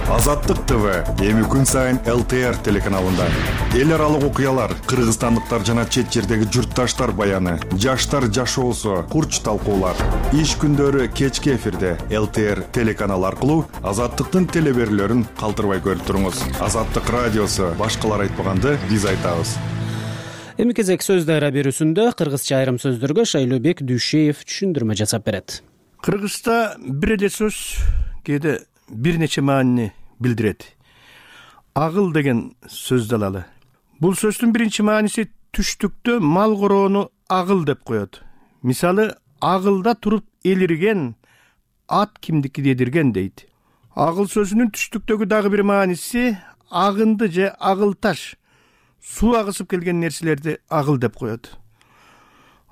Азаттык ТВ эми күн сайын ЛТР телеканалында. Эл аралык окуялар, кыргызстандыктар жана чет жердеги журтташтар баяны, жаштар жашоосу, курч талкуулар. Иш күндөрү кечки эфирде ЛТР телеканалы аркылуу Азаттыктын телеберлөрүн калтырбай көрүп туруңуз. Азаттык радиосу башкалар айтпаганды биз айтабыз.
Эми кезек сөз дайра берүүсүндө кыргызча айрым сөздөргө Шайлообек Дүйшеев түшүндүрмө жасап берет.
Кыргызда бир эле сөз кээде бир нече маанини билдирет. Агыл деген сөздү алалы. Бул сөздүн биринчи мааниси түштүктө мал короону агыл деп коет. Мисалы, агылда туруп элирген ат кимдики дедирген дейт. Агыл сөзүнүн түштүктөгү дагы бир мааниси агынды же агыл таш, суу агысып келген нерселерди агыл деп коет.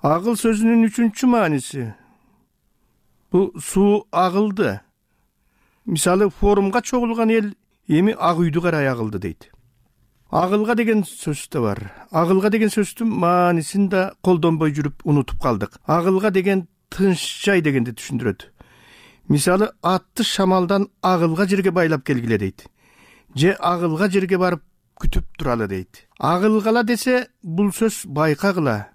Агыл сөзүнүн үчүнчү мааниси бул суу агылды. Мисалы, форумга чогулган эл эми ак үйдү карай агылды дейт. Агылга деген сөз да бар. Агылга деген сөздүн маанисин да колдонбой жүрүп унутуп калдык. Агылга деген тынч жай дегенди түшүндүрөт. Мисалы, атты шамалдан агылга жерге байлап келгиле дейт. Же агылга жерге барып күтүп туралы дейт. Агылгала десе бул сөз байкагыла,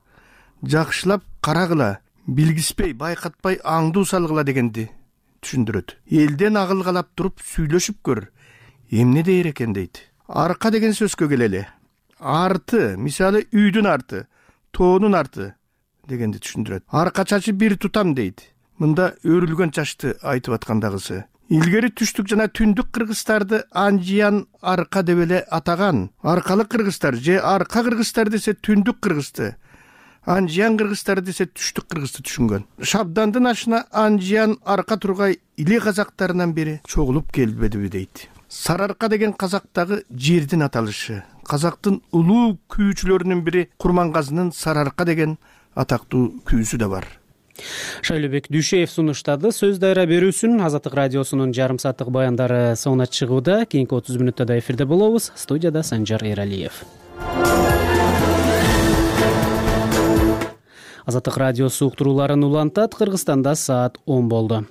жакшылап карагыла, билгиспей, байкатпай аңдуу салгыла дегенди түшүндүрөт. Элден агылгалап туруп сүйлөшүп көр, эмне дээр экен дейт. Арка деген сөзгө келели. Арты, мисалы үйдүн арты, тоонун арты дегенди түшүндүрөт. Арка чачы бир тутам дейт. Мында өрүлгөн чачты айтып аткандагысы. Илгери түштүк жана түндүк кыргыздарды анжиян арка деп эле атаган. Аркалык кыргыздар же арка кыргыздар десе түндүк кыргызды, анжиян кыргыздар десе түштүк кыргызды түшүнгөн. Шабдандын ашына анжиян арка тургай иле казактарынан бери чогулуп келбедиби дейт. Сарыарка деген казактагы жердин аталышы. Казактын улуу күүчүлөрүнүн бири Курмангазынын Сарыарка деген атактуу күүсү да бар.
Шайлообек Дүйшеев сунуштады. Сөз дайра берүүсүн Азаттык радиосунун жарым сааттык баяндары соңуна чыгууда. Кийинки 30 мүнөттө да эфирде болобуз. Студияда Санжар Эралиев. Азаттык радиосу уктурууларын улантат. Кыргызстанда саат 10 болду.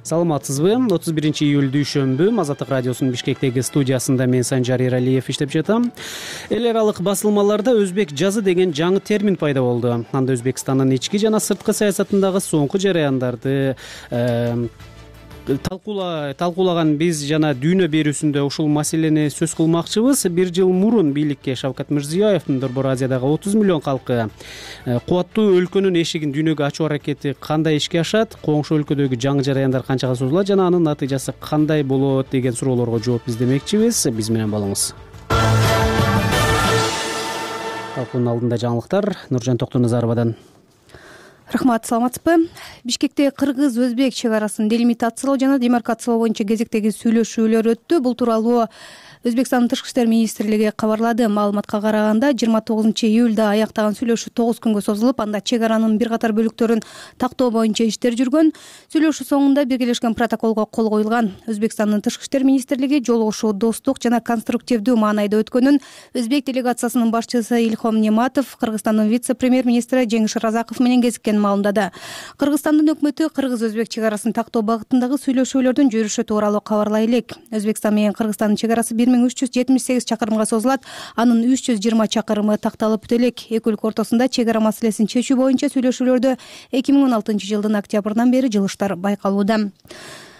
Саламатсызбы? 31-июль дүйшөмбү Азаттык радиосунун Бишкектеги студиясында мен Санжар Эралиев иштеп жатам. Эл аралык басылмаларда өзбек жазы деген жаңы термин пайда болду. Анда Өзбекстандын ички жана сырткы саясатындагы соңку жараяндарды талкуулаган биз жана дүйнө берүүсүндө ушул маселени сөз кылмакчыбыз. Бир жыл мурун бийликке Шавкат Мирзиёевдин Борбор Азиядагы 30 миллион калкы кубаттуу өлкөнүн эшигин дүйнөгө ачуу аракети кандай ишке ашат, коңшу өлкөдөгү жаңы жараяндар канчага созулат жана анын натыйжасы кандай болот деген суроолорго жооп издемекчибиз. Биз менен болуңуз. Талкуунун алдында жаңылыктар Нуржан Токтоназаровадан.
Рахмат, саламатсызбы? Бишкекте кыргыз-өзбек чек арасын делимитациялоо жана демаркациялоо боюнча кезектеги сүйлөшүүлөр өттү. Бул тууралуу Өзбекстандын Тышкы иштер министрлиги кабарлады. Маалыматка караганда 29-июлда аяктаган сүйлөшүү 9 күнгө созулуп, анда чек аранын бир катар бөлүктөрүн тактоо боюнча иштер жүргөн. Сүйлөшүү соңунда биргелешкен протоколго кол коюлган. Өзбекстандын Тышкы иштер министрлиги жолугушуу достук жана конструктивдүү маанайда өткөнүн өзбек делегациясынын башчысы Илхом Нематов Кыргызстандын вице-премьер-министри Жеңиш Разаков менен кезиккенин маалымдады. Кыргызстандын өкмөтү кыргыз-өзбек чек арасын тактоо багытындагы сүйлөшүүлөрдүн жүрүшү тууралуу кабарлай элек. Өзбекстан менен Кыргызстандын чек арасы 1378 чакырымга созулат. Анын 320 чакырымы такталып бүтө элек. Эки өлкө ортосунда чек ара маселесин чечүү боюнча сүйлөшүүлөрдө 2016-жылдын октябрынан бери жылыштар байкалууда.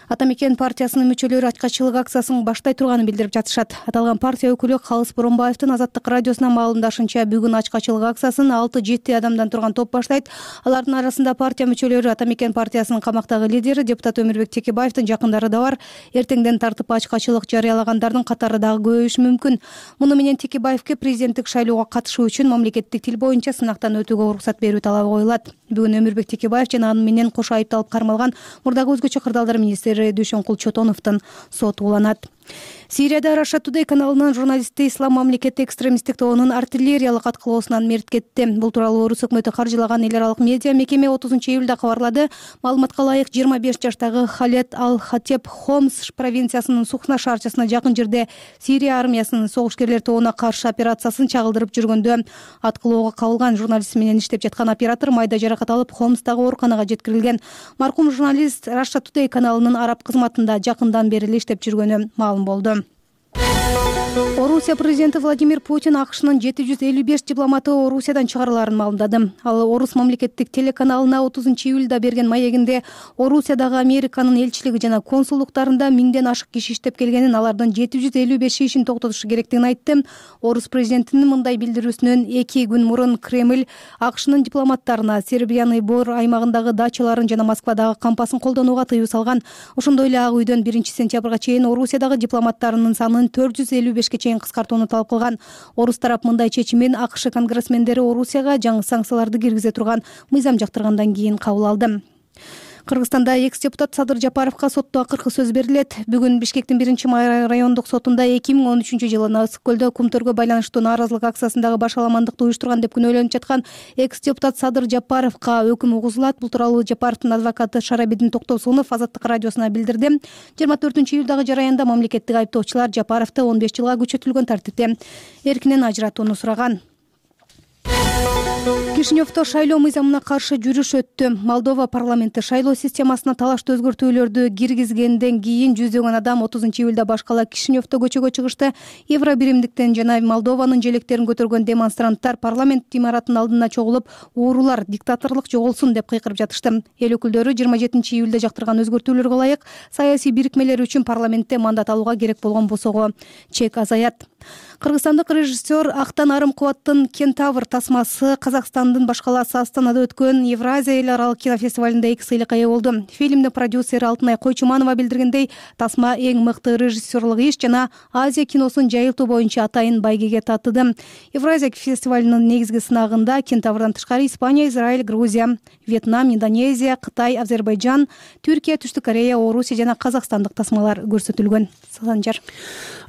Атамекен партиясынын мүчөлөрү ачкачылык акциясын баштай турганын билдирип жатышат. Аталган партия өкүлү Калыс Боронбаевдин Азаттык радиосуна маалымдашынча, бүгүн ачкачылык акциясын 6-7 адамдан турган топ баштайт. Алардын арасында партия мүчөлөрү, Атамекен партиясынын камактагы лидери депутат Өмүрбек Текебаевдин жакындары да бар. Эртеңден тартып ачкачылык жарыялагандардын катары дагы көбөйүшү мүмкүн. Муну менен Текебаевке президенттик шайлоого катышуу үчүн мамлекеттик тил боюнча сынактан өтүүгө уруксат берүү талабы коюлат. Бүгүн Өмүрбек Текебаев жана аны менен кошо айыпталып кармалган мурдагы өзгөчө кырдаалдар министри Дүйшөнкул Чотоновдун соту уланат. Сирияда Russia Today каналынын журналисти Ислам мамлекети экстремисттик тобунун артиллериялык аткылоосунан мерт кетти. Бул тууралуу Орус өкмөтү каржылаган эл аралык медиа мекеме 30-июлда кабарлады. Маалыматка ылайык 25 жаштагы Халет Ал-Хатеп Хомс провинциясынын Сухна шаарчасына жакын жерде Сирия армиясынын согушкерлер тобуна каршы операциясын чагылдырып жүргөндө аткылоого кабылган. Журналист менен иштеп жаткан оператор майда жаракат алып Хомстагы ооруканага жеткирилген. Маркум журналист Russia Today каналынын араб кызматында жакындан бери эле иштеп жүргөнү маалым болду. Орусия президенти Владимир Путин АКШнын 755 дипломаты Орусиядан чыгарыларын маалымдады. Ал Орус мамлекеттик телеканалына 30-июлда берген маегинде Орусиядагы Американын элчилиги жана консулдуктарында 1000ден ашык киши иштеп келгенин, алардын 755 ишин токтотушу керектигин айтты. Орус президентинин мындай билдирүүсүнөн 2 күн мурун Кремль АКШнын дипломаттарына Сербиянын Бор аймагындагы дачаларын жана Москвадагы кампасын колдонууга тыюу салган. Ошондой эле Ак үйдөн 1-сентябрга чейин Орусиядагы дипломаттарынын санын 455-ке чейин кыскартууну талап кылган. Орус тарап мындай чечимин АКШ конгрессмендери Орусияга жаңы санкцияларды киргизе турган мыйзам жактыргандан кийин кабыл алды. Кыргызстанда экс-депутат Садыр Жапаровго сотто акыркы сөз берилет. Бүгүн Бишкектин 1 райондук сотунда 2013-жылы Ысык көлдө кумтөргө байланыштуу нааразылык акциясындагы баш аламандыкты уюштурган деп күнөөлөнүп жаткан экс-депутат Садыр Жапаровго өкүм угузулат. Бул тууралуу Жапаровдун адвокаты Шарабидин Токтосунов Азаттык радиосуна билдирди. 24-июлдагы жараянда мамлекеттик айыптоочулар Жапаровду 15 жылга күчөтүлгөн тартипте эркинен ажыратууну сураган. Кишиневдо шайлоо мыйзамына каршы жүрүш өттү. Молдова парламенти шайлоо системасына талаштуу өзгөртүүлөрдү киргизгенден кийин жүздөгөн адам 30-июлда башкала Кишиневдо көчөгө чыгышты. Евробиримдиктен жана Молдованын желектерин көтөргөн демонстранттар парламент имаратынын алдына чогулуп, уурулар диктаторлук жоголсун деп кыйкырып жатышты. Эл өкүлдөрү 27-июлда жактырган өзгөртүүлөргө ылайык саясий бирикмелер үчүн парламентте мандат алууга керек болгон босого чек азаят. Кыргызстандык режиссер Актан Арым Кубаттын Кентавр тасмасы Казакстандын башкаласы Астанада өткөн Евразия эл аралык кинофестивалында 2 сыйлыкка ээ болду. Фильмдин продюсери Алтынай Койчуманова билдиргендей, тасма эң мыкты режиссерлук иш жана Азия киносун жайылтуу боюнча атайын байгеге татыды. Евразия фестивалынын негизги сынагында Кентаврдан тышкары Испания, Израиль, Грузия, Вьетнам, Индонезия, Кытай, Азербайджан, Түркия, Түштүк Корея, Орусия жана казакстандык тасмалар көрсөтүлгөн. Санжар.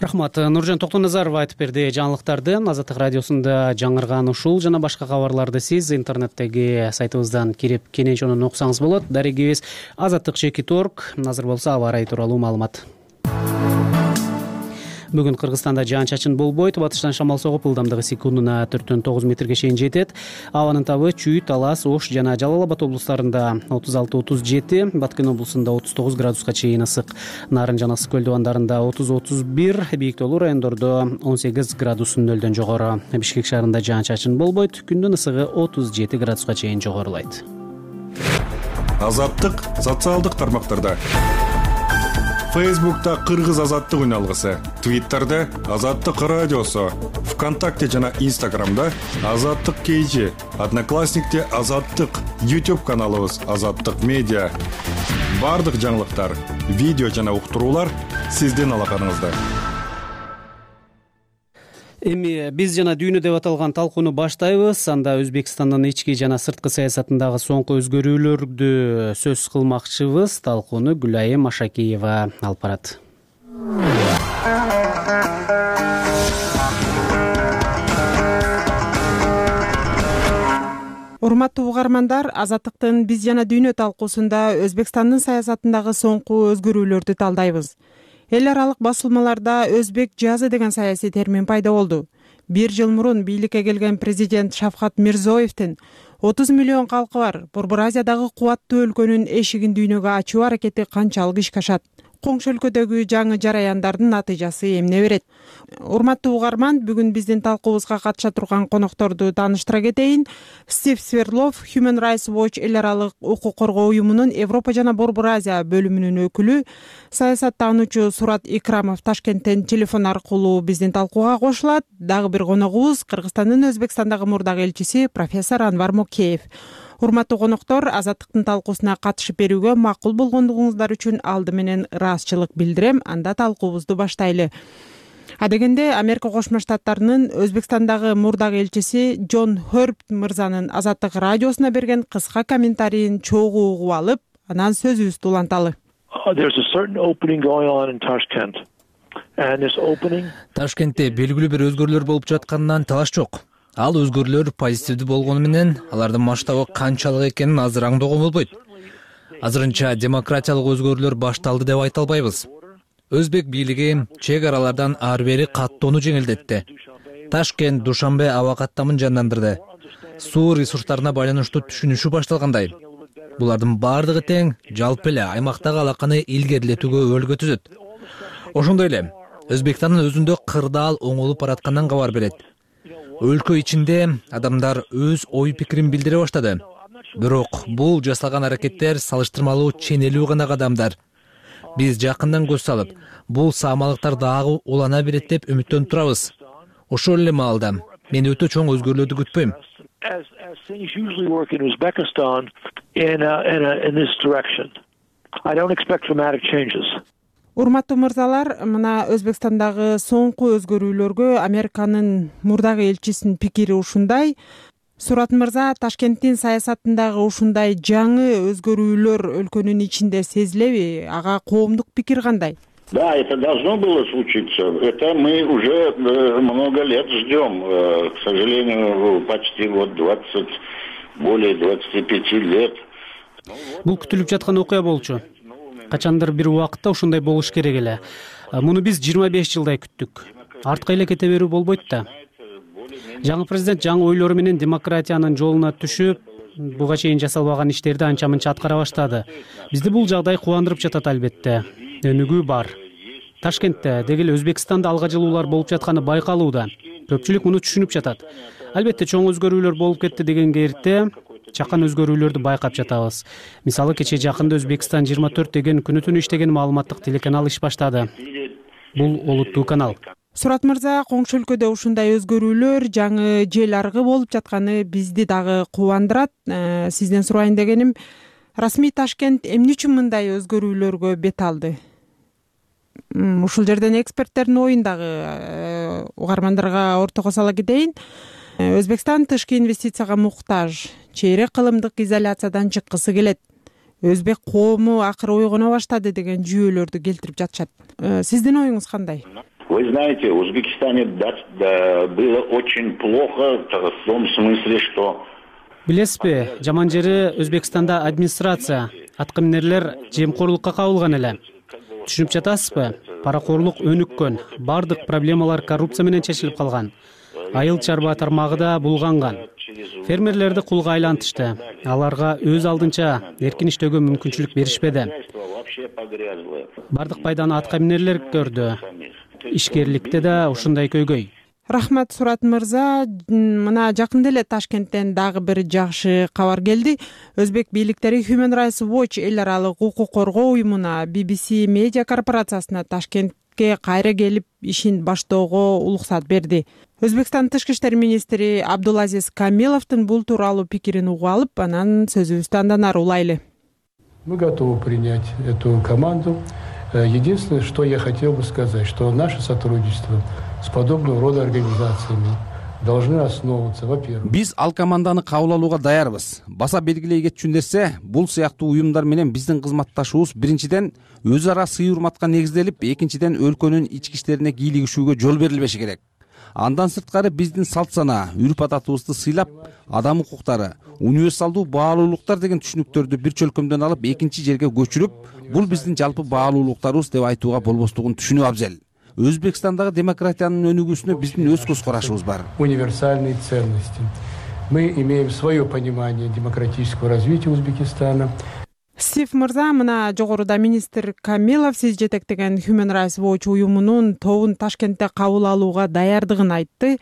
Рахмат. Нуржан Токтоназарова айтып берди жаңылыктарды. Азаттык радиосунда жаңырган ушул жана башка кабарларды сиз интернеттеги сайтыбыздан кирип кенен чонун окусаңыз болот. Дарегибиз azattik.org. Азыр болсо аба ырайы тууралуу маалымат. Бүгүн Кыргызстанда жаан-чачын болбойт. Батыштан шамал согуп, ылдамдыгы секундуна 4-9 метрге чейин жетет. Абанын табы Чүй, Талас, Ош жана Жалал Абад облустарында 36-37, Баткен облусунда 39 градуска чейин ысык. Нарын жана Ысык көл дубандарында 30-31, бийиктүүлүү райондордо 18 градус нөлдөн жогору. Бишкек шаарында жаан-чачын болбойт. Күндүн ысыгы 37 градуска чейин жогорулайт.
Азаттык социалдык тармактарда. Фейсбукта Кыргыз азаттык үн алгысы, Твиттерде Азаттык радиосу, ВКонтакте жана Инстаграмда Азаттык KG, Одноклассникте Азаттык, YouTube каналыбыз Азаттык медиа. Бардык жаңылыктар, видео жана уктуруулар сиздин алаканыңызда.
Эми биз жана дүйнө деп аталган талкууну баштайбыз. Анда Өзбекстандын ички жана сырткы саясатындагы соңку өзгөрүүлөрдү сөз кылмакчыбыз. Талкууну Гүлайым Машакиева алып барат.
Урматтуу угармандар, Азаттыктын биз жана дүйнө талкуусунда Өзбекстандын саясатындагы соңку өзгөрүүлөрдү талдайбыз. Эл аралык басылмаларда өзбек жазы деген саясий термин пайда болду. 1 жыл мурун бийликке келген президент Шавкат Мирзоевдин 30 миллион калкы бар Борбор Азиядагы кубаттуу өлкөнүн эшигин дүйнөгө ачуу аракети канчалык ишке ашат? Коңшу өлкөдөгү жаңы жараяндардын натыйжасы эмне берет? Урматтуу угарман, бүгүн биздин талкуубузга катыша турган конокторду тааныштыра кетейин. Стив Сверлов, Human Rights Watch эл аралык укук коргоо уюмунун Европа жана Борбор Азия бөлүмүнүн өкүлү, саясаттануучу Сурат Икрамов Ташкенттен телефон аркылуу биздин талкууга кошулат. Дагы бир коногубуз Кыргызстандын Өзбекстандагы мурдак элчиси профессор Анвар Мокеев. Урматтуу коноктор, Азаттыктын талкуусуна катышып берүүгө макул болгондугуңуздар үчүн алды менен ыраазычылык билдирем. Анда талкуубузду баштайлы. Адегенде Америка Кошмо Штаттарынын Өзбекстандагы мурдак элчиси Джон Хербт мырзанын Азаттык радиосуна берген кыска комментарийин чогуу угуп алып, анан сөзүбүздү уланталы.
Ташкентте белгилүү бир өзгөрүүлөр болуп жатканынан талаш жок. Ал өзгөрүүлөр позитивдүү болгону менен алардын масштабы канчалык экенин азыр аңдоого болбойт. Азырынча демократиялык өзгөрүүлөр башталды деп айта албайбыз. Өзбек бийлиги чек аралардан ары бери каттоону жеңилдетти. Ташкент, Душанбе аба каттамын жандандырды. Суу ресурстарына байланыштуу түшүнүшү башталгандай. Булардын бардыгы тең жалпы эле аймактагы алаканы илгерилетүүгө өбөлгө түзөт. Ошондой эле Өзбекстандын өзүндө кырдаал оңолуп бараткандан кабар берет. Өлкө ичинде адамдар өз ой пикирин билдире баштады. Бирок бул жасалган аракеттер салыштырмалуу ченелүү гана кадамдар. Биз жакындан көз салып, бул саамалыктар дагы улана берет деп үмүттөнүп турабыз. Ошол эле маалда мен өтө чоң өзгөрүүлөрдү күтпөйм.
Урматтуу мырзалар, мына Өзбекстандагы соңку өзгөрүүлөргө Американын мурдак элчисинин пикири ушундай. Сурат мырза, Ташкенттин саясатындагы ушундай жаңы өзгөрүүлөр өлкөнүн ичинде сезилеби? Ага коомдук пикир кандай?
Да, это должно было случиться. Это мы уже много лет ждем. К сожалению, почти вот 20, более 25 лет.
Бул күтүлүп жаткан окуя болчу. Качандыр бир убакытта ушундай болуш керек эле. Муну биз 25 жылдай күттүк. Артка эле кете берүү болбойт да. Жаңы президент жаңы ойлору менен демократиянын жолуна түшүп, буга чейин жасалбаган иштерди анча мынча аткара баштады. Бизди бул жагдай кубандырып жатат албетте. Өнүгүү бар. Ташкентте деги эле Өзбекстанда алга жылуулар болуп жатканы байкалууда. Көпчүлүк муну түшүнүп жатат. Албетте чоң өзгөрүүлөр болуп кетти дегенге эрте чакан өзгөрүүлөрдү байкап жатабыз. Мисалы кечээ жакында Өзбекстан 24 деген күнү түнү иштеген маалыматтык телеканал иш баштады. Бул олуттуу канал.
Сурат мырза, коңшу өлкөдө ушундай өзгөрүүлөр, жаңы жел аргы болуп жатканы бизди дагы кубандырат. Сизден сурайын дегеним, расмий Ташкент эмне үчүн мындай өзгөрүүлөргө бет алды? Ушул жерден эксперттердин оюн дагы угармандарга ортого сала кетейин. Өзбекстан тышкы инвестицияга муктаж, чейрек кылымдык изоляциядан чыккысы келет. Өзбек коому акыры ойгоно баштады деген жүйөлөрдү келтирип жатышат. Сиздин оюңуз кандай?
Вы знаете, в Узбекистане было очень плохо в том смысле, что...
Билесизби, жаман жери Өзбекстанда администрация, аткаминерлер жемкорлукка кабылган эле. Түшүнүп жатасызбы? Паракорлук өнүккөн, бардык проблемалар коррупция менен чечилип калган. Айыл чарба тармагы да булганган. Фермерлерди кулга айлантышты. Аларга өз алдынча эркин иштөөгө мүмкүнчүлүк беришпеди. Бардык пайданы аткаминерлер көрдү. Ишкерликте да ушундай көйгөй.
Рахмат, Сурат мырза. Мына жакында эле Ташкенттен дагы бир жакшы кабар келди. Өзбек бийликтери Human Rights Watch эл аралык укук коргоо уюмуна, BBC медиа корпорациясына Ташкентке кайра келип ишин баштоого уруксат берди. Өзбекстан тышкы иштер министри Абдулазиз Камиловдун бул тууралуу пикирин угуп алып, анан сөзүбүздү андан ары улайлы.
Мы готовы принять эту команду. Единственное, что я хотел бы сказать, что наше сотрудничество с подобного рода организациями должны основываться, во-первых.
Биз ал команданы кабыл алууга даярбыз. Баса белгилей кетчү нерсе, бул сыяктуу уюмдар менен биздин кызматташуубуз биринчиден өз ара сый-урматка негизделип, экинчиден өлкөнүн ички иштерине кийлигишүүгө жол берилбеши керек. Андан сырткары биздин салт сана, үрп адатыбызды сыйлап, адам укуктары, универсалдуу баалуулуктар деген түшүнүктөрдү бир чөлкөмдөн алып, экинчи жерге көчүрүп, бул биздин жалпы баалуулуктарыбыз деп айтууга болбостугун түшүнүү абзел. Өзбекстандагы демократиянын өнүгүүсүнө биздин өз көз карашыбыз бар.
Универсальные ценности. Мы имеем свое понимание демократического развития Узбекистана.
Стив мырза, мына жогоруда министр Камилов сиз жетектеген Human Rights Watch уюмунун тобун Ташкентте кабыл алууга даярдыгын айтты.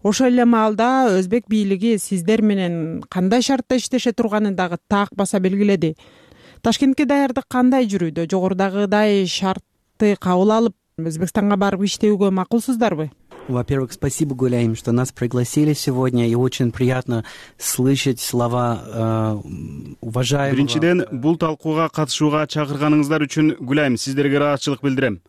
Ошол эле маалда өзбек бийлиги сиздер менен кандай шартта иштеше турганын дагы так баса белгиледи. Ташкентке даярдык кандай жүрүүдө? Жогорудагыдай шартты кабыл алып, Өзбекстанга барып иштөөгө макулсуздарбы?
Во-первых, спасибо, Гуляим, что нас пригласили сегодня, и очень приятно слышать слова уважаемого.
Биринчиден, бул талкууга катышууга чакырганыңыздар үчүн Гуляим сиздерге ыраазычылык билдирем.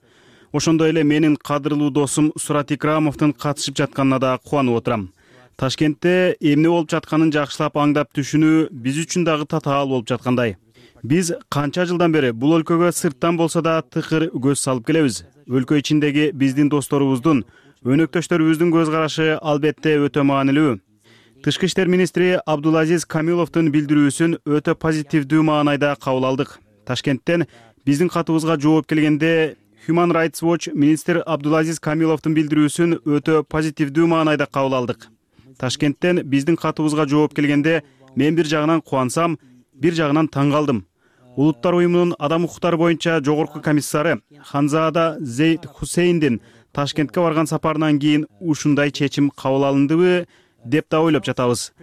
Ошондой эле менин кадырлуу досум Сурат Икрамовдун катышып жатканына да кубанып отурам. Ташкентте эмне болуп жатканын жакшылап аңдап түшүнүү биз үчүн дагы татаал болуп жаткандай. Биз канча жылдан бери бул өлкөгө сырттан болсо да тыкыр көз салып келебиз. Өлкө ичиндеги биздин досторубуздун, өнөктөштөрүбүздүн көз карашы албетте өтө маанилүү. Тышкы иштер министри Абдулазиз Камиловдун билдирүүсүн өтө позитивдүү маанайда кабыл алдык. Ташкенттен биздин катыбызга жооп келгенде Human Rights Watch министр Абдулазиз Камиловдун билдирүүсүн өтө позитивдүү маанайда кабыл алдык. Ташкенттен биздин катыбызга жооп келгенде мен бир жагынан кубансам, бир жагынан таң калдым. Улуттар уюмунун адам укуктары боюнча жогорку комиссары Ханзада Зейд Хусейндин Ташкентке барган сапарынан кийин ушундай чечим кабыл алындыбы деп да ойлоп жатабыз.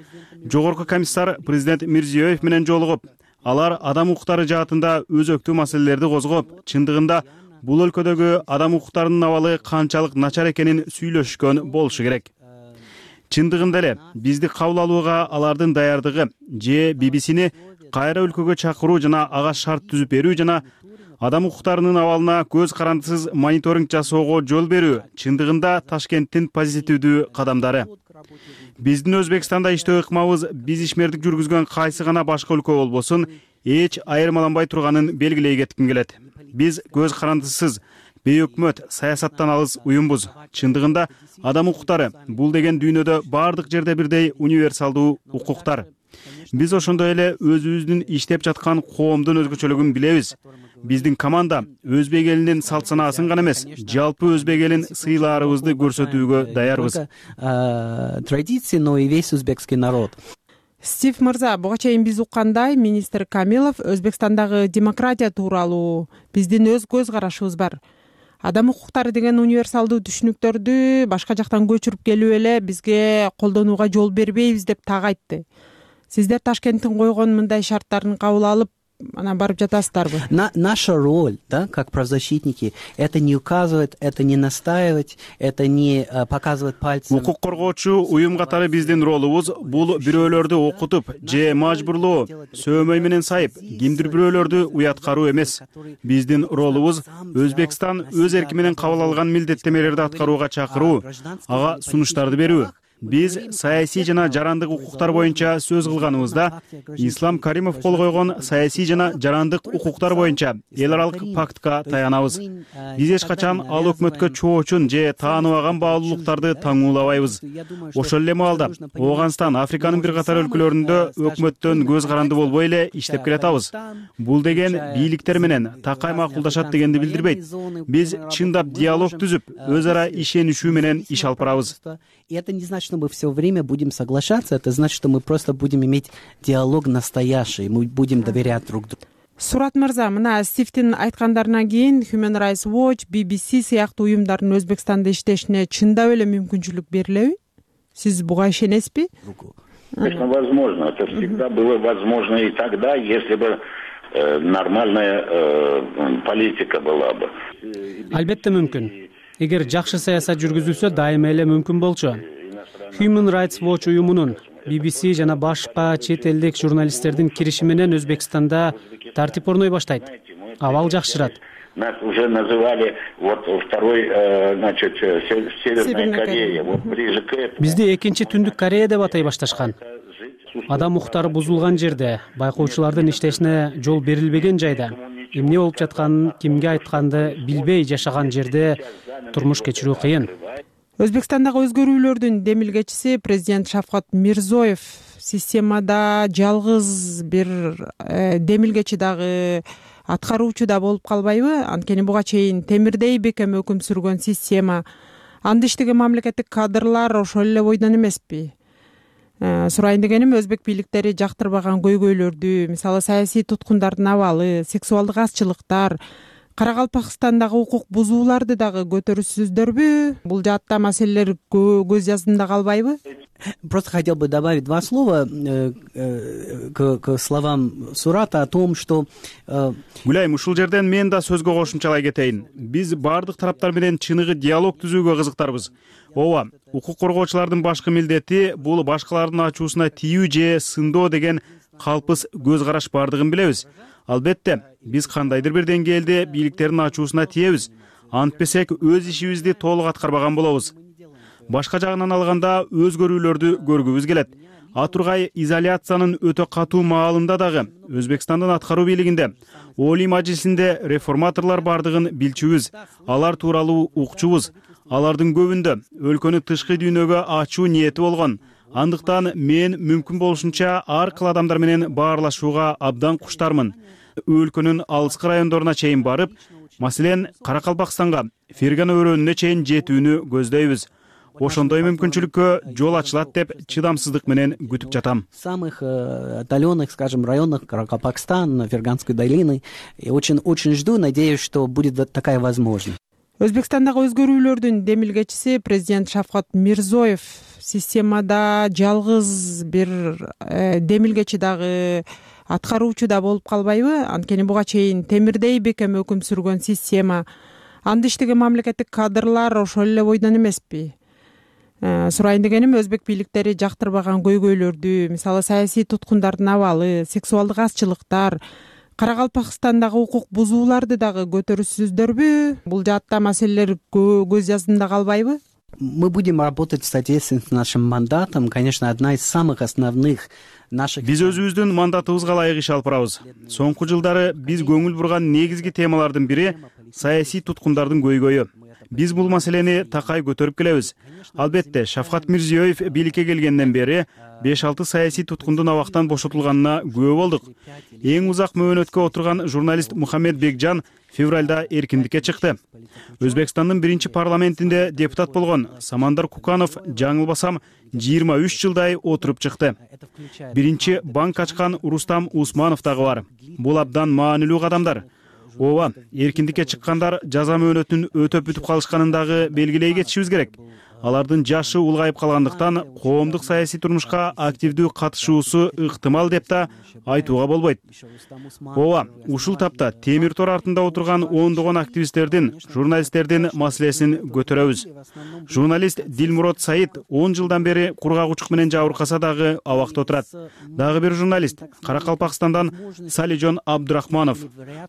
Жогорку комиссар президент Мирзиёев менен жолугуп, алар адам укуктары жаатында өзөктүү маселелерди козгоп, чындыгында бул өлкөдөгү адам укуктарынын абалы канчалык начар экенин сүйлөшкөн болушу керек. Чындыгында эле бизди кабыл алууга алардын даярдыгы же BBC'ни кайра өлкөгө чакыруу жана ага шарт түзүп берүү жана адам укуктарынын абалына көз карандысыз мониторинг жасоого жол берүү чындыгында Ташкенттин позитивдүү кадамдары. Биздин Өзбекстанда иштөө ыкмабыз биз ишмердик жүргүзгөн кайсы гана башка өлкө болбосун эч айырмаланбай турганын белгилей кетким келет. Биз көз карандысыз бейөкмөт саясаттан алыс уюмбуз. Чындыгында адам укуктары бул деген дүйнөдө бардык жерде бирдей универсалдуу укуктар. Биз ошондой эле өзүбүздүн иштеп жаткан коомдун өзгөчөлүгүн билебиз. биздин команда өзбек элинин салт санаасын гана эмес, жалпы өзбек элин сыйлаарыбызды көрсөтүүгө даярбыз.
Традиции, но и весь узбекский народ.
Стив мырза, буга чейин биз уккандай, министр Камилов Өзбекстандагы демократия тууралуу биздин өз көз карашыбыз бар. Адам укуктары деген универсалдуу түшүнүктөрдү башка жактан көчүрүп келип эле бизге колдонууга жол бербейбиз деп так айтты. Сиздер Ташкенттин койгон мындай шарттарын кабыл алып, анан барып жатасыздарбы?
Наша роль, да, как правозащитники, это не указывать, это не настаивать, это не показывать пальцем.
Укук коргоочу уюм катары биздин ролубуз бул бирөөлөрдү окутуп же мажбурлоо, сөөмөй менен сайып, кимдир бирөөлөрдү уяткаруу эмес. Биздин ролубуз Өзбекстан өз эрки менен кабыл алган милдеттемелерди аткарууга чакыруу, ага сунуштарды берүү. Биз саясий жана жарандык укуктар боюнча сөз кылганыбызда Ислам Каримов кол койгон саясий жана жарандык укуктар боюнча эл аралык пактка таянабыз. Биз эч качан ал өкмөткө чоочун же тааныбаган баалуулуктарды таңуулабайбыз. Ошол эле маалда Ооганстан, Африканын бир катар өлкөлөрүндө өкмөттөн көз каранды болбой эле иштеп келатабыз. Бул деген бийликтер менен такай макулдашат дегенди билдирбейт. Биз чындап диалог түзүп, өз ара ишенишүү менен иш алып барабыз.
И это не значит, что мы все время будем соглашаться, это значит, что мы просто будем иметь диалог настоящий, мы будем доверять друг другу.
Сурат мырза, мына Стивдин айткандарынан кийин Human Rights Watch, BBC сыяктуу уюмдардын Өзбекстанда иштешине чындап эле мүмкүнчүлүк берилеби? Сиз буга ишенесизби?
Конечно, возможно. Это всегда было возможно и тогда, если бы нормальная политика была бы.
Албетте мүмкүн. Эгер жакшы саясат жүргүзүлсө, дайыма эле мүмкүн болчу. Human Rights Watch уюмунун BBC жана башка чет элдик журналисттердин кириши менен Өзбекстанда тартип орной баштайт. Абал жакшырат.
Нас уже называли вот второй, значит, Северная Корея. Вот ближе к этому.
Бизди экинчи Түндүк Корея деп атай башташкан. Адам укуктары бузулган жерде, байкоочулардын иштешине жол берилбеген жайда, эмне болуп жатканын кимге айтканды билбей жашаган жерде турмуш кечирүү кыйын.
Өзбекстандагы өзгөрүүлөрдүн демилгечиси президент Шавкат Мирзоев системада жалгыз бир демилгечи дагы аткаруучу да болуп калбайбы? Анткени буга чейин темирдей бекем өкүм сүргөн система, анда иштеген мамлекеттик кадрлар ошол эле бойдон эмеспи? Сурайын дегеним, өзбек бийликтери жактырбаган көйгөйлөрдү, мисалы саясий туткундардын абалы, сексуалдык азчылыктар, Каракалпакстандагы укук бузууларды дагы көтөрүсүздөрбү? Бул жаатта маселелер көз жаздында калбайбы?
Просто хотел бы добавить два слова к словам Сурата о том, что...
Гүлайым, ушул жерден мен да сөзгө кошумчалай кетейин. Биз бардык тараптар менен чыныгы диалог түзүүгө кызыктарбыз. Ооба, укук коргоочулардын башкы милдети бул башкалардын ачуусуна тийүү же сындоо деген калпыс көз караш бардыгын билебиз. Албетте, биз кандайдыр бир деңгээлде бийликтердин ачуусуна тиебиз. Антпесек өз ишибизди толук аткарбаган болобуз. Башка жагынан алганда өзгөрүүлөрдү көргүбүз келет. Атургай изоляциянын өтө катуу маалында дагы Өзбекстандын аткаруу бийлигинде, Олий мажлисинде реформаторлор бардыгын билчүбүз. Алар тууралуу укчубуз. Алардын көбүндө өлкөнү тышкы дүйнөгө ачуу ниети болгон. Андыктан мен мүмкүн болушунча ар кыл адамдар менен баарлашууга абдан куштармын. Өлкөнүн алыскы райондоруна чейин барып, маселен, Каракалпакстанга, Фергана өрөөнүнө чейин жетүүнү көздөйбүз. Ошондой мүмкүнчүлүккө жол ачылат деп чыдамсыздык менен күтүп жатам.
Самых отдаленных, скажем, районах Каракалпакстана, Ферганской долины. И очень жду, надеюсь, что будет такая возможность.
Өзбекстандагы өзгөрүүлөрдүн демилгечиси президент Шавкат Мирзоев системада жалгыз бир демилгечи дагы аткаруучу да болуп калбайбы? Анткени буга чейин темирдей бекем өкүм сүргөн система, анда иштеген мамлекеттик кадрлар ошол эле бойдон эмеспи? Сурайын дегеним, өзбек бийликтери жактырбаган көйгөйлөрдү, мисалы саясий туткундардын абалы, сексуалдык азчылыктар, Каракалпакстандагы укук бузууларды дагы көтөрүсүздөрбү? Бул жаатта маселелер көз жаздында калбайбы?
Мы будем работать в соответствии с нашим мандатом. Конечно, одна из самых основных наших...
Биз өзүбүздүн мандатыбызга ылайык иш алып барабыз. Соңку жылдары биз көңүл бурган негизги темалардын бири саясий туткундардын көйгөйү. Биз бул маселени такай көтөрүп келебиз. Албетте, Шавкат Мирзиёев бийликке келгенден бери 5-6 саясий туткундун абактан бошотулганына күбө болдук. Эң узак мөөнөткө отурган журналист Мухаммед Бекжан февралда эркиндикке чыкты. Өзбекстандын биринчи парламентинде депутат болгон Самандар Куканов жаңылбасам 23 жылдай отуруп чыкты. Биринчи банк ачкан Рустам Усманов дагы бар. Бул абдан маанилүү кадамдар. Ооба, эркиндикке чыккандар жаза мөөнөтүн өтөп бүтүп калышканын дагы белгилей кетишибиз керек. Алардын жашы улгайып калгандыктан коомдук саясий турмушка активдүү катышуусу ыктымал деп да айтууга болбойт. Ооба, ушул тапта темир тор артында отурган ондогон активисттердин, журналисттердин маселесин көтөрөбүз. Журналист Дилмурод Саид 10 жылдан бери кургагучук менен жабыркаса дагы абакта отурат. Дагы бир журналист Каракалпакстандан Салижон Абдурахманов.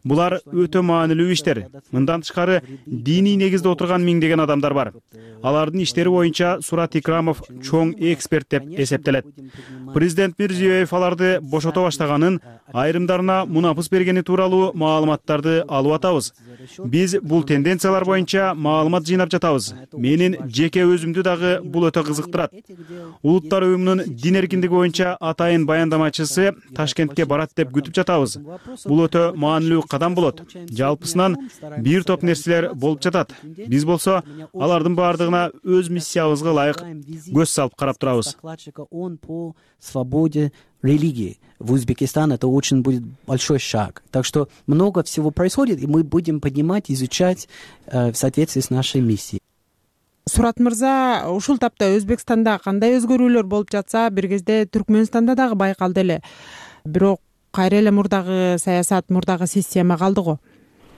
Булар өтө маанилүү иштер. Мындан тышкары диний негизде отурган миңдеген адамдар бар. Алардын иштери боюнча Сурат Икрамов чоң эксперт деп эсептелет. Президент Мирзиёев аларды бошото баштаганын, айрымдарына мунапыс бергени тууралуу маалыматтарды алып атабыз. Биз бул тенденциялар боюнча маалымат жыйнап жатабыз. Менин жеке өзүмдү дагы бул өтө кызыктырат. Улуттар уюмунун дин эркиндиги боюнча атайын баяндамачысы Ташкентке барат деп күтүп жатабыз. Бул өтө маанилүү кадам болот. Жалпысынан бир топ нерселер болуп жатат. Биз болсо алардын баардыгына өз миссиябызга ылайык көз салып карап турабыз.
Свободе религии в Узбекистан это очень будет большой шаг. Так что много всего происходит, и мы будем поднимать, изучать в соответствии с нашей миссией.
Сурат мырза, ушул тапта Өзбекстанда кандай өзгөрүүлөр болуп жатса, бир кезде Түркмөнстанда дагы байкалды эле. Бирок кайра эле мурдагы саясат, мурдагы система калды го.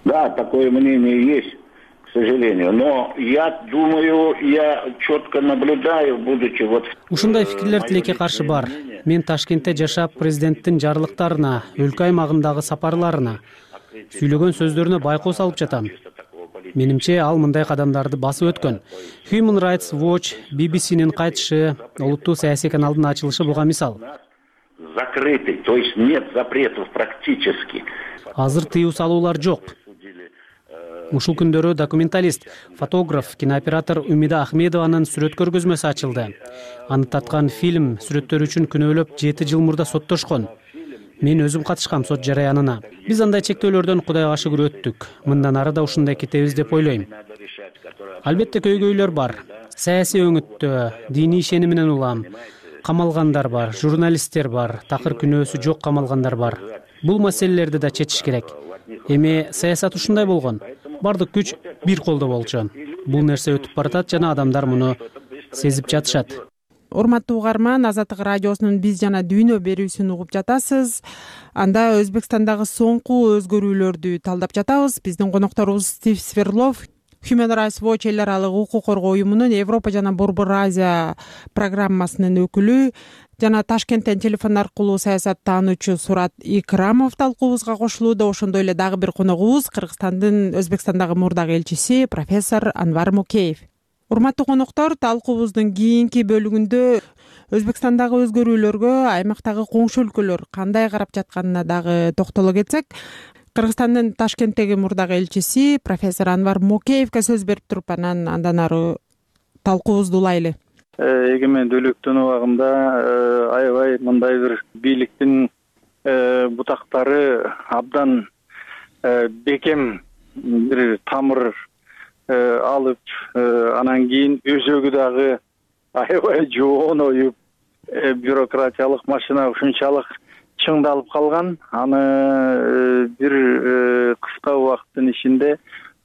Да, такое мнение есть, к сожалению. Но я думаю, я четко наблюдаю, будучи вот...
Ушундай фикирлер тилекке каршы бар. Мен Ташкентте жашап, президенттин жарлыктарына, өлкө аймагындагы сапарларына, сүйлөгөн сөздөрүнө байкоо салып жатам. Менимче, ал мындай кадамдарды басып өткөн. Human Rights Watch, BBC'нин кайтышы, улуттуу саясий каналдын ачылышы буга мисал.
Закрыты, то есть нет запретов практически.
Азыр тыюу салуулар жок. Ушул күндөрү документалист, фотограф, кинооператор Умида Ахмедованын сүрөт көргөзмөсү ачылды. Аны тарткан фильм сүрөттөр үчүн күнөөлөп 7 жыл мурда соттошкон. Мен өзүм катышкам сот жараянына. Биз андай чектөөлөрдөн кудайга шүгүр өттүк. Мындан ары да ушундай кетебиз деп ойлойм. Албетте көйгөйлөр бар. Саясий өңүттө, диний ишеним менен улам. Камалгандар бар, журналисттер бар, такыр күнөөсү жок камалгандар бар. Бул маселелерди да чечиш керек. Эми саясат ушундай болгон. Бардык күч бир колдо болчу. Бул нерсе өтүп баратат жана адамдар муну сезип жатышат.
Урматтуу угарман, Азаттык радиосунун Биз жана дүйнө берүүсүн угуп жатасыз. Анда Өзбекстандагы соңку өзгөрүүлөрдү талдап жатабыз. Биздин конокторубуз Стив Сверлов, Human Rights Watch эл аралык укук коргоо уюмунун Европа жана Борбор Азия программасынын өкүлү жана Ташкенттен телефон аркылуу саясат таануучу Сурат Икрамов талкуубузга кошулууда. Ошондой эле дагы бир коногубуз Кыргызстандын Өзбекстандагы мурдагы элчиси профессор Анвар Мукеев. Урматтуу коноктор, талкуубуздун кийинки бөлүгүндө Өзбекстандагы өзгөрүүлөргө аймактагы коңшу өлкөлөр кандай карап жатканына дагы токтоло кетсек, Кыргызстандын Ташкенттеги мурдагы элчиси профессор Анвар Мукеевге сөз берип туруп, андан ары талкуубузду улайлы.
Эгемен өлөктөн убагында аябай мындай бир бийликтин бутактары абдан бекем бир тамыр алып, анан кийин өзөгү дагы аябай жоон оюп, бюрократиялык машина ушунчалык чыңдалып калган. Аны бир кыска убакыттын ичинде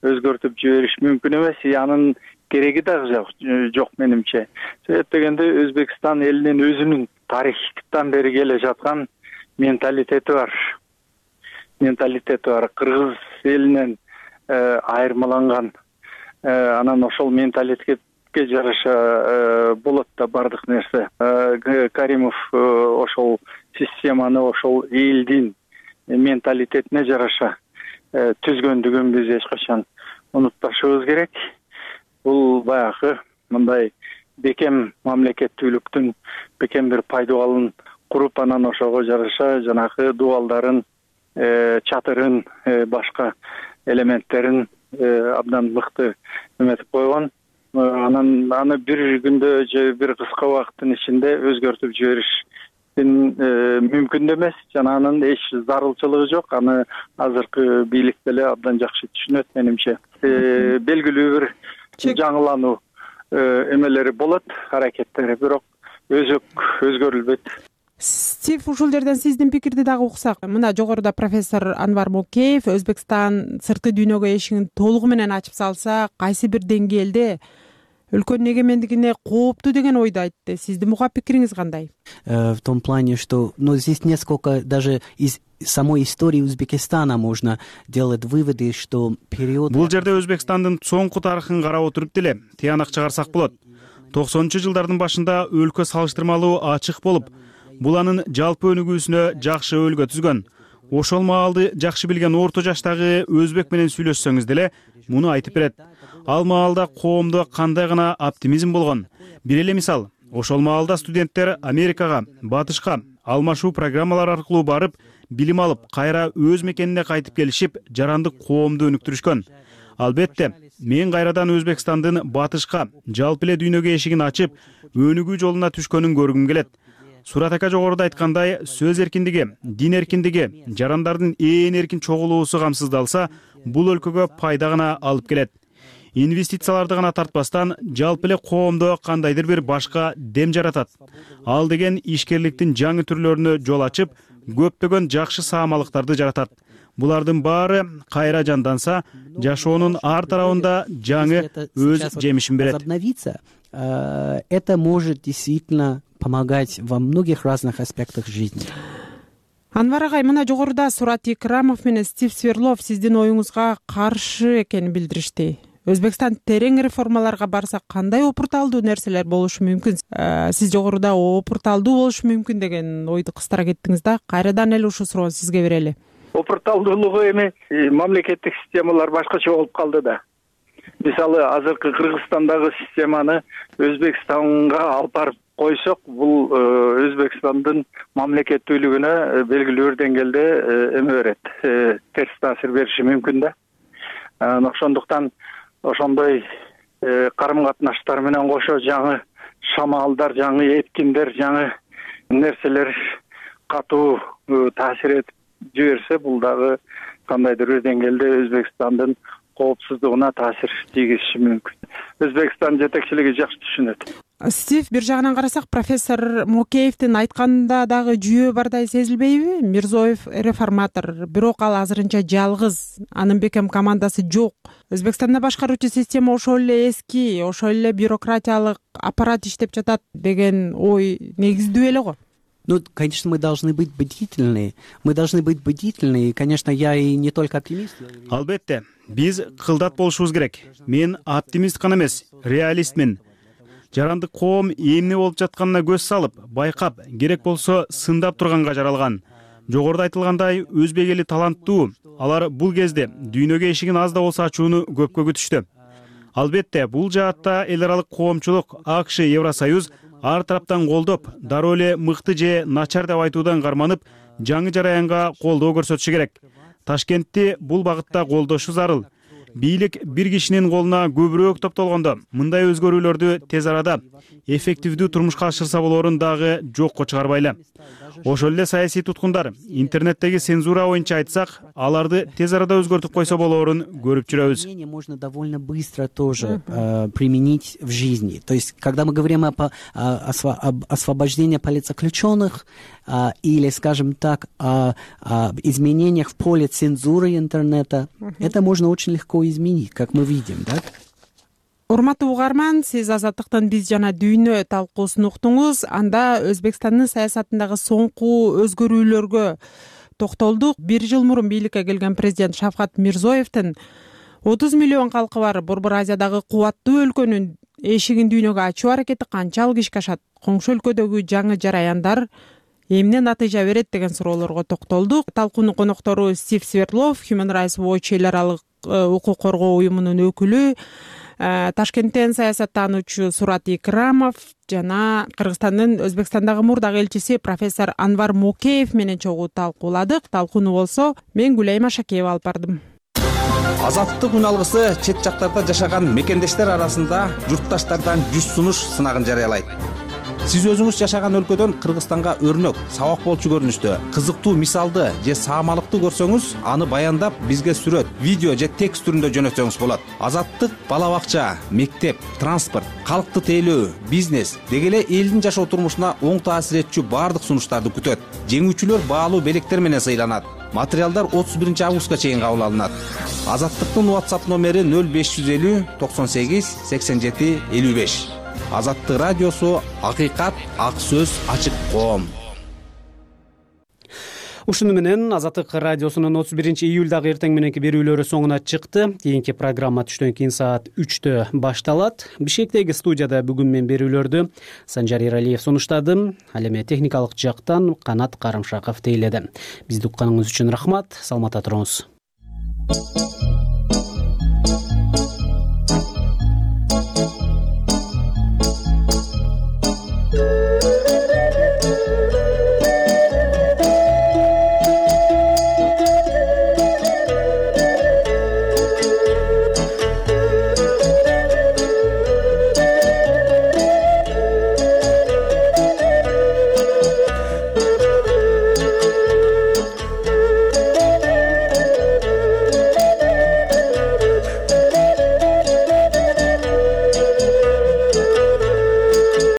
өзгөртүп жибериш мүмкүн эмес. Анын кереги дагы жок менимче. Себеп дегенде Өзбекстан элинин өзүнүн тарыхтан бери келе жаткан менталитети бар. Кыргыз элинен айырмаланган. Анан ошол менталитетке жараша болот да бардык нерсе. Каримов ошол системаны, ошол элдин менталитетине жараша түзгөндүгүн биз эч качан унутпашыбыз керек. Бул баягы мындай бекем мамлекеттүүлүктүн бекем бир пайдубалын куруп, анан ошого жараша жанагы дубалдарын, чатырын, башка элементтерин абдан мыкты эметип койгон. Анан аны бир күндө же бир кыска убакыттын ичинде өзгөртүп жиберишин мүмкүн да эмес жана анын эч зарылчылыгы жок. Аны азыркы бийлик деле абдан жакшы түшүнөт менимче. Белгилүү бир жаңылануу эмелери болот, аракеттери, бирок өзгөрүлбөйт.
Стив, ушул жерден сиздин пикирди дагы уксак. Мына жогоруда профессор Анвар Мокеев Өзбекстан сырткы дүйнөгө эшигин толугу менен ачып салса, кайсы бир деңгээлде өлкөнүн эгемендигине кооптуу деген ойду айтты. Сиздин буга пикириңиз кандай?
В том плане, что здесь несколько даже из самой истории Узбекистана можно делать выводы, что период...
Бул жерде Өзбекстандын соңку тарыхын карап отуруп деле тыянак чыгарсак болот. 90-жылдардын башында өлкө салыштырмалуу ачык болуп, бул анын жалпы өнүгүүсүнө жакшы өбөлгө түзгөн. Ошол маалды жакшы билген орто жаштагы өзбек менен сүйлөшсөңүз деле муну айтып берет. Ал маалда коомдо кандай гана оптимизм болгон. Бир эле мисал, ошол маалда студенттер Америкага, Батышка алмашуу программалары аркылуу барып, билим алып, кайра өз мекенине кайтып келишип, жарандык коомду өнүктүрүшкөн. Албетте, мен кайрадан Өзбекстандын Батышка, жалпы эле дүйнөгө эшигин ачып, өнүгүү жолуна түшкөнүн көргүм келет. Сурат ака жогоруда айткандай, сөз эркиндиги, дин эркиндиги, жарандардын ээн эркин чогулуусу камсыздалса, бул өлкөгө пайда гана алып келет. Инвестицияларды гана тартпастан, жалпы эле коомдо кандайдыр бир башка дем жаратат. Ал деген ишкерликтин жаңы түрлөрүнө жол ачып, көптөгөн жакшы саамалыктарды жаратат. Булардын баары кайра жанданса, жашоонун ар тарабында жаңы өз жемишин берет.
Это может действительно помогать во многих разных аспектах жизни.
Анвар агай, мына жогоруда Сурат Икрамов менен Стив Сверлов сиздин оюңузга каршы экенин билдиришти. Өзбекстан терең реформаларга барса кандай опурталдуу нерселер болушу мүмкүн? Сиз жогоруда опурталдуу болушу мүмкүн деген ойду кыстыра кеттиңиз да. Кайрадан эле ушул суроону сизге берели.
Опурталдуулугу эми мамлекеттик системалар башкача болуп калды да. Мисалы, азыркы Кыргызстандагы системаны Өзбекстанга алып барып койсок, бул Өзбекстандын мамлекеттүүлүгүнө белгилүү бир деңгээлде эме берет, терс таасир бериши мүмкүн да. Ошондуктан ошондой карым-катнаштар менен кошо жаңы шамалдар, жаңы эткиндер, жаңы нерселер катуу таасир этип жиберсе, бул дагы кандайдыр бир деңгээлде Өзбекстандын коопсуздугуна таасир тийгизиши мүмкүн. Өзбекстан жетекчилиги жакшы түшүнөт.
Стив, бир жагынан карасак, профессор Мокеевдин айтканында дагы жүйө бардай сезилбейби? Мирзоев реформатор, бирок ал азырынча жалгыз, анын бекем командасы жок. Өзбекстанда башкаруучу система ошол эле эски, ошол эле бюрократиялык аппарат иштеп жатат деген ой негиздүү эле го.
Конечно, мы должны быть бдительны. Мы должны быть бдительны. И, конечно, я и не только оптимист.
Албетте, биз кылдат болушубуз керек. Мен оптимист гана эмес, реалистмин. Жарандык коом эмне болуп жатканына көз салып, байкап, керек болсо сындап турганга жаралган. Жогоруда айтылгандай, өзбек эли таланттуу. Алар бул кезде дүйнөгө эшигин аз да болсо ачууну көпкө күтүштү. Албетте, бул жаатта эл аралык коомчулук, АКШ, Евросоюз ар тараптан колдоп, дароо эле мыкты же начар деп айтуудан карманып, жаңы жараянга колдоо көрсөтүшү керек. Ташкентти бул багытта колдошу зарыл. Бийлик бир кишинин колуна көбүрөөк топтолгондо, мындай өзгөрүүлөрдү тез арада эффективдүү турмушка ашырса болорун дагы жокко чыгарбайлы. Ошол эле саясий туткундар интернеттеги цензура боюнча айтсак, аларды тез арада өзгөртүп койсо болорун көрүп жүрөбүз.
Можно довольно быстро тоже применить в жизни. То есть, когда мы говорим об освобождении политзаключенных или, скажем так, о изменениях в поле цензуры интернета, это можно очень легко изменить, как мы видим, да?
Урматтуу угарман, сиз Азаттыктын биз жана дүйнө талкуусун уктуңуз. Анда Өзбекстандын саясатындагы соңку өзгөрүүлөргө токтолдук. Бир жыл мурун бийликке келген президент Шавкат Мирзоевдин 30 миллион калкы бар Борбор Азиядагы кубаттуу өлкөнүн эшигин дүйнөгө ачуу аракети канчалык ишке ашат? Коңшу өлкөдөгү жаңы жараяндар эмне натыйжа берет деген суроолорго токтолдук. Талкуунун коноктору Стив Сверлов, Human Rights Watch эл аралык укук коргоо уюмунун өкүлү, Ташкенттен саясаттануучу Сурат Икрамов жана Кыргызстандын Өзбекстандагы мурдагы элчиси профессор Анвар Мокеев менен чогуу талкууладык. Талкууну болсо мен Гүлайым Ашакеева алып бардым.
Азаттык үн алгысы чет жактарда жашаган мекендештер арасында журтташтардан 100 сунуш сынагын жарыялайт. Сиз өзүңүз жашаган өлкөдөн Кыргызстанга өрнөк, сабак болчу көрүнүштө, кызыктуу мисалды же саамалыкты көрсөңүз, аны баяндап бизге сүрөт, видео же текст түрүндө жөнөтсөңүз болот. Азаттык бала бакча, мектеп, транспорт, калкты тейлөө, бизнес деги эле элдин жашоо турмушуна оң таасир этчү баардык сунуштарды күтөт. Жеңүүчүлөр баалуу белектер менен сыйланат. Материалдар 31 августка чейин кабыл алынат. Азаттыктын WhatsApp номери 0550 98 87 55. Азаттык радиосу, акыйкат, ак сөз, ачык коом.
Ушуну менен Азаттык радиосунун 31 июлдагы эртең мененки берүүлөрү соңуна чыкты. Кийинки программа түштөн кийин саат 3-тө башталат. Бишкектеги студияда бүгүн мен берүүлөрдү Санжар Эралиев сунуштадым. Ал эми техникалык жактан Канат Карымшаков тейледи. Бизди укканыңыз үчүн рахмат. Саламатта туруңуз.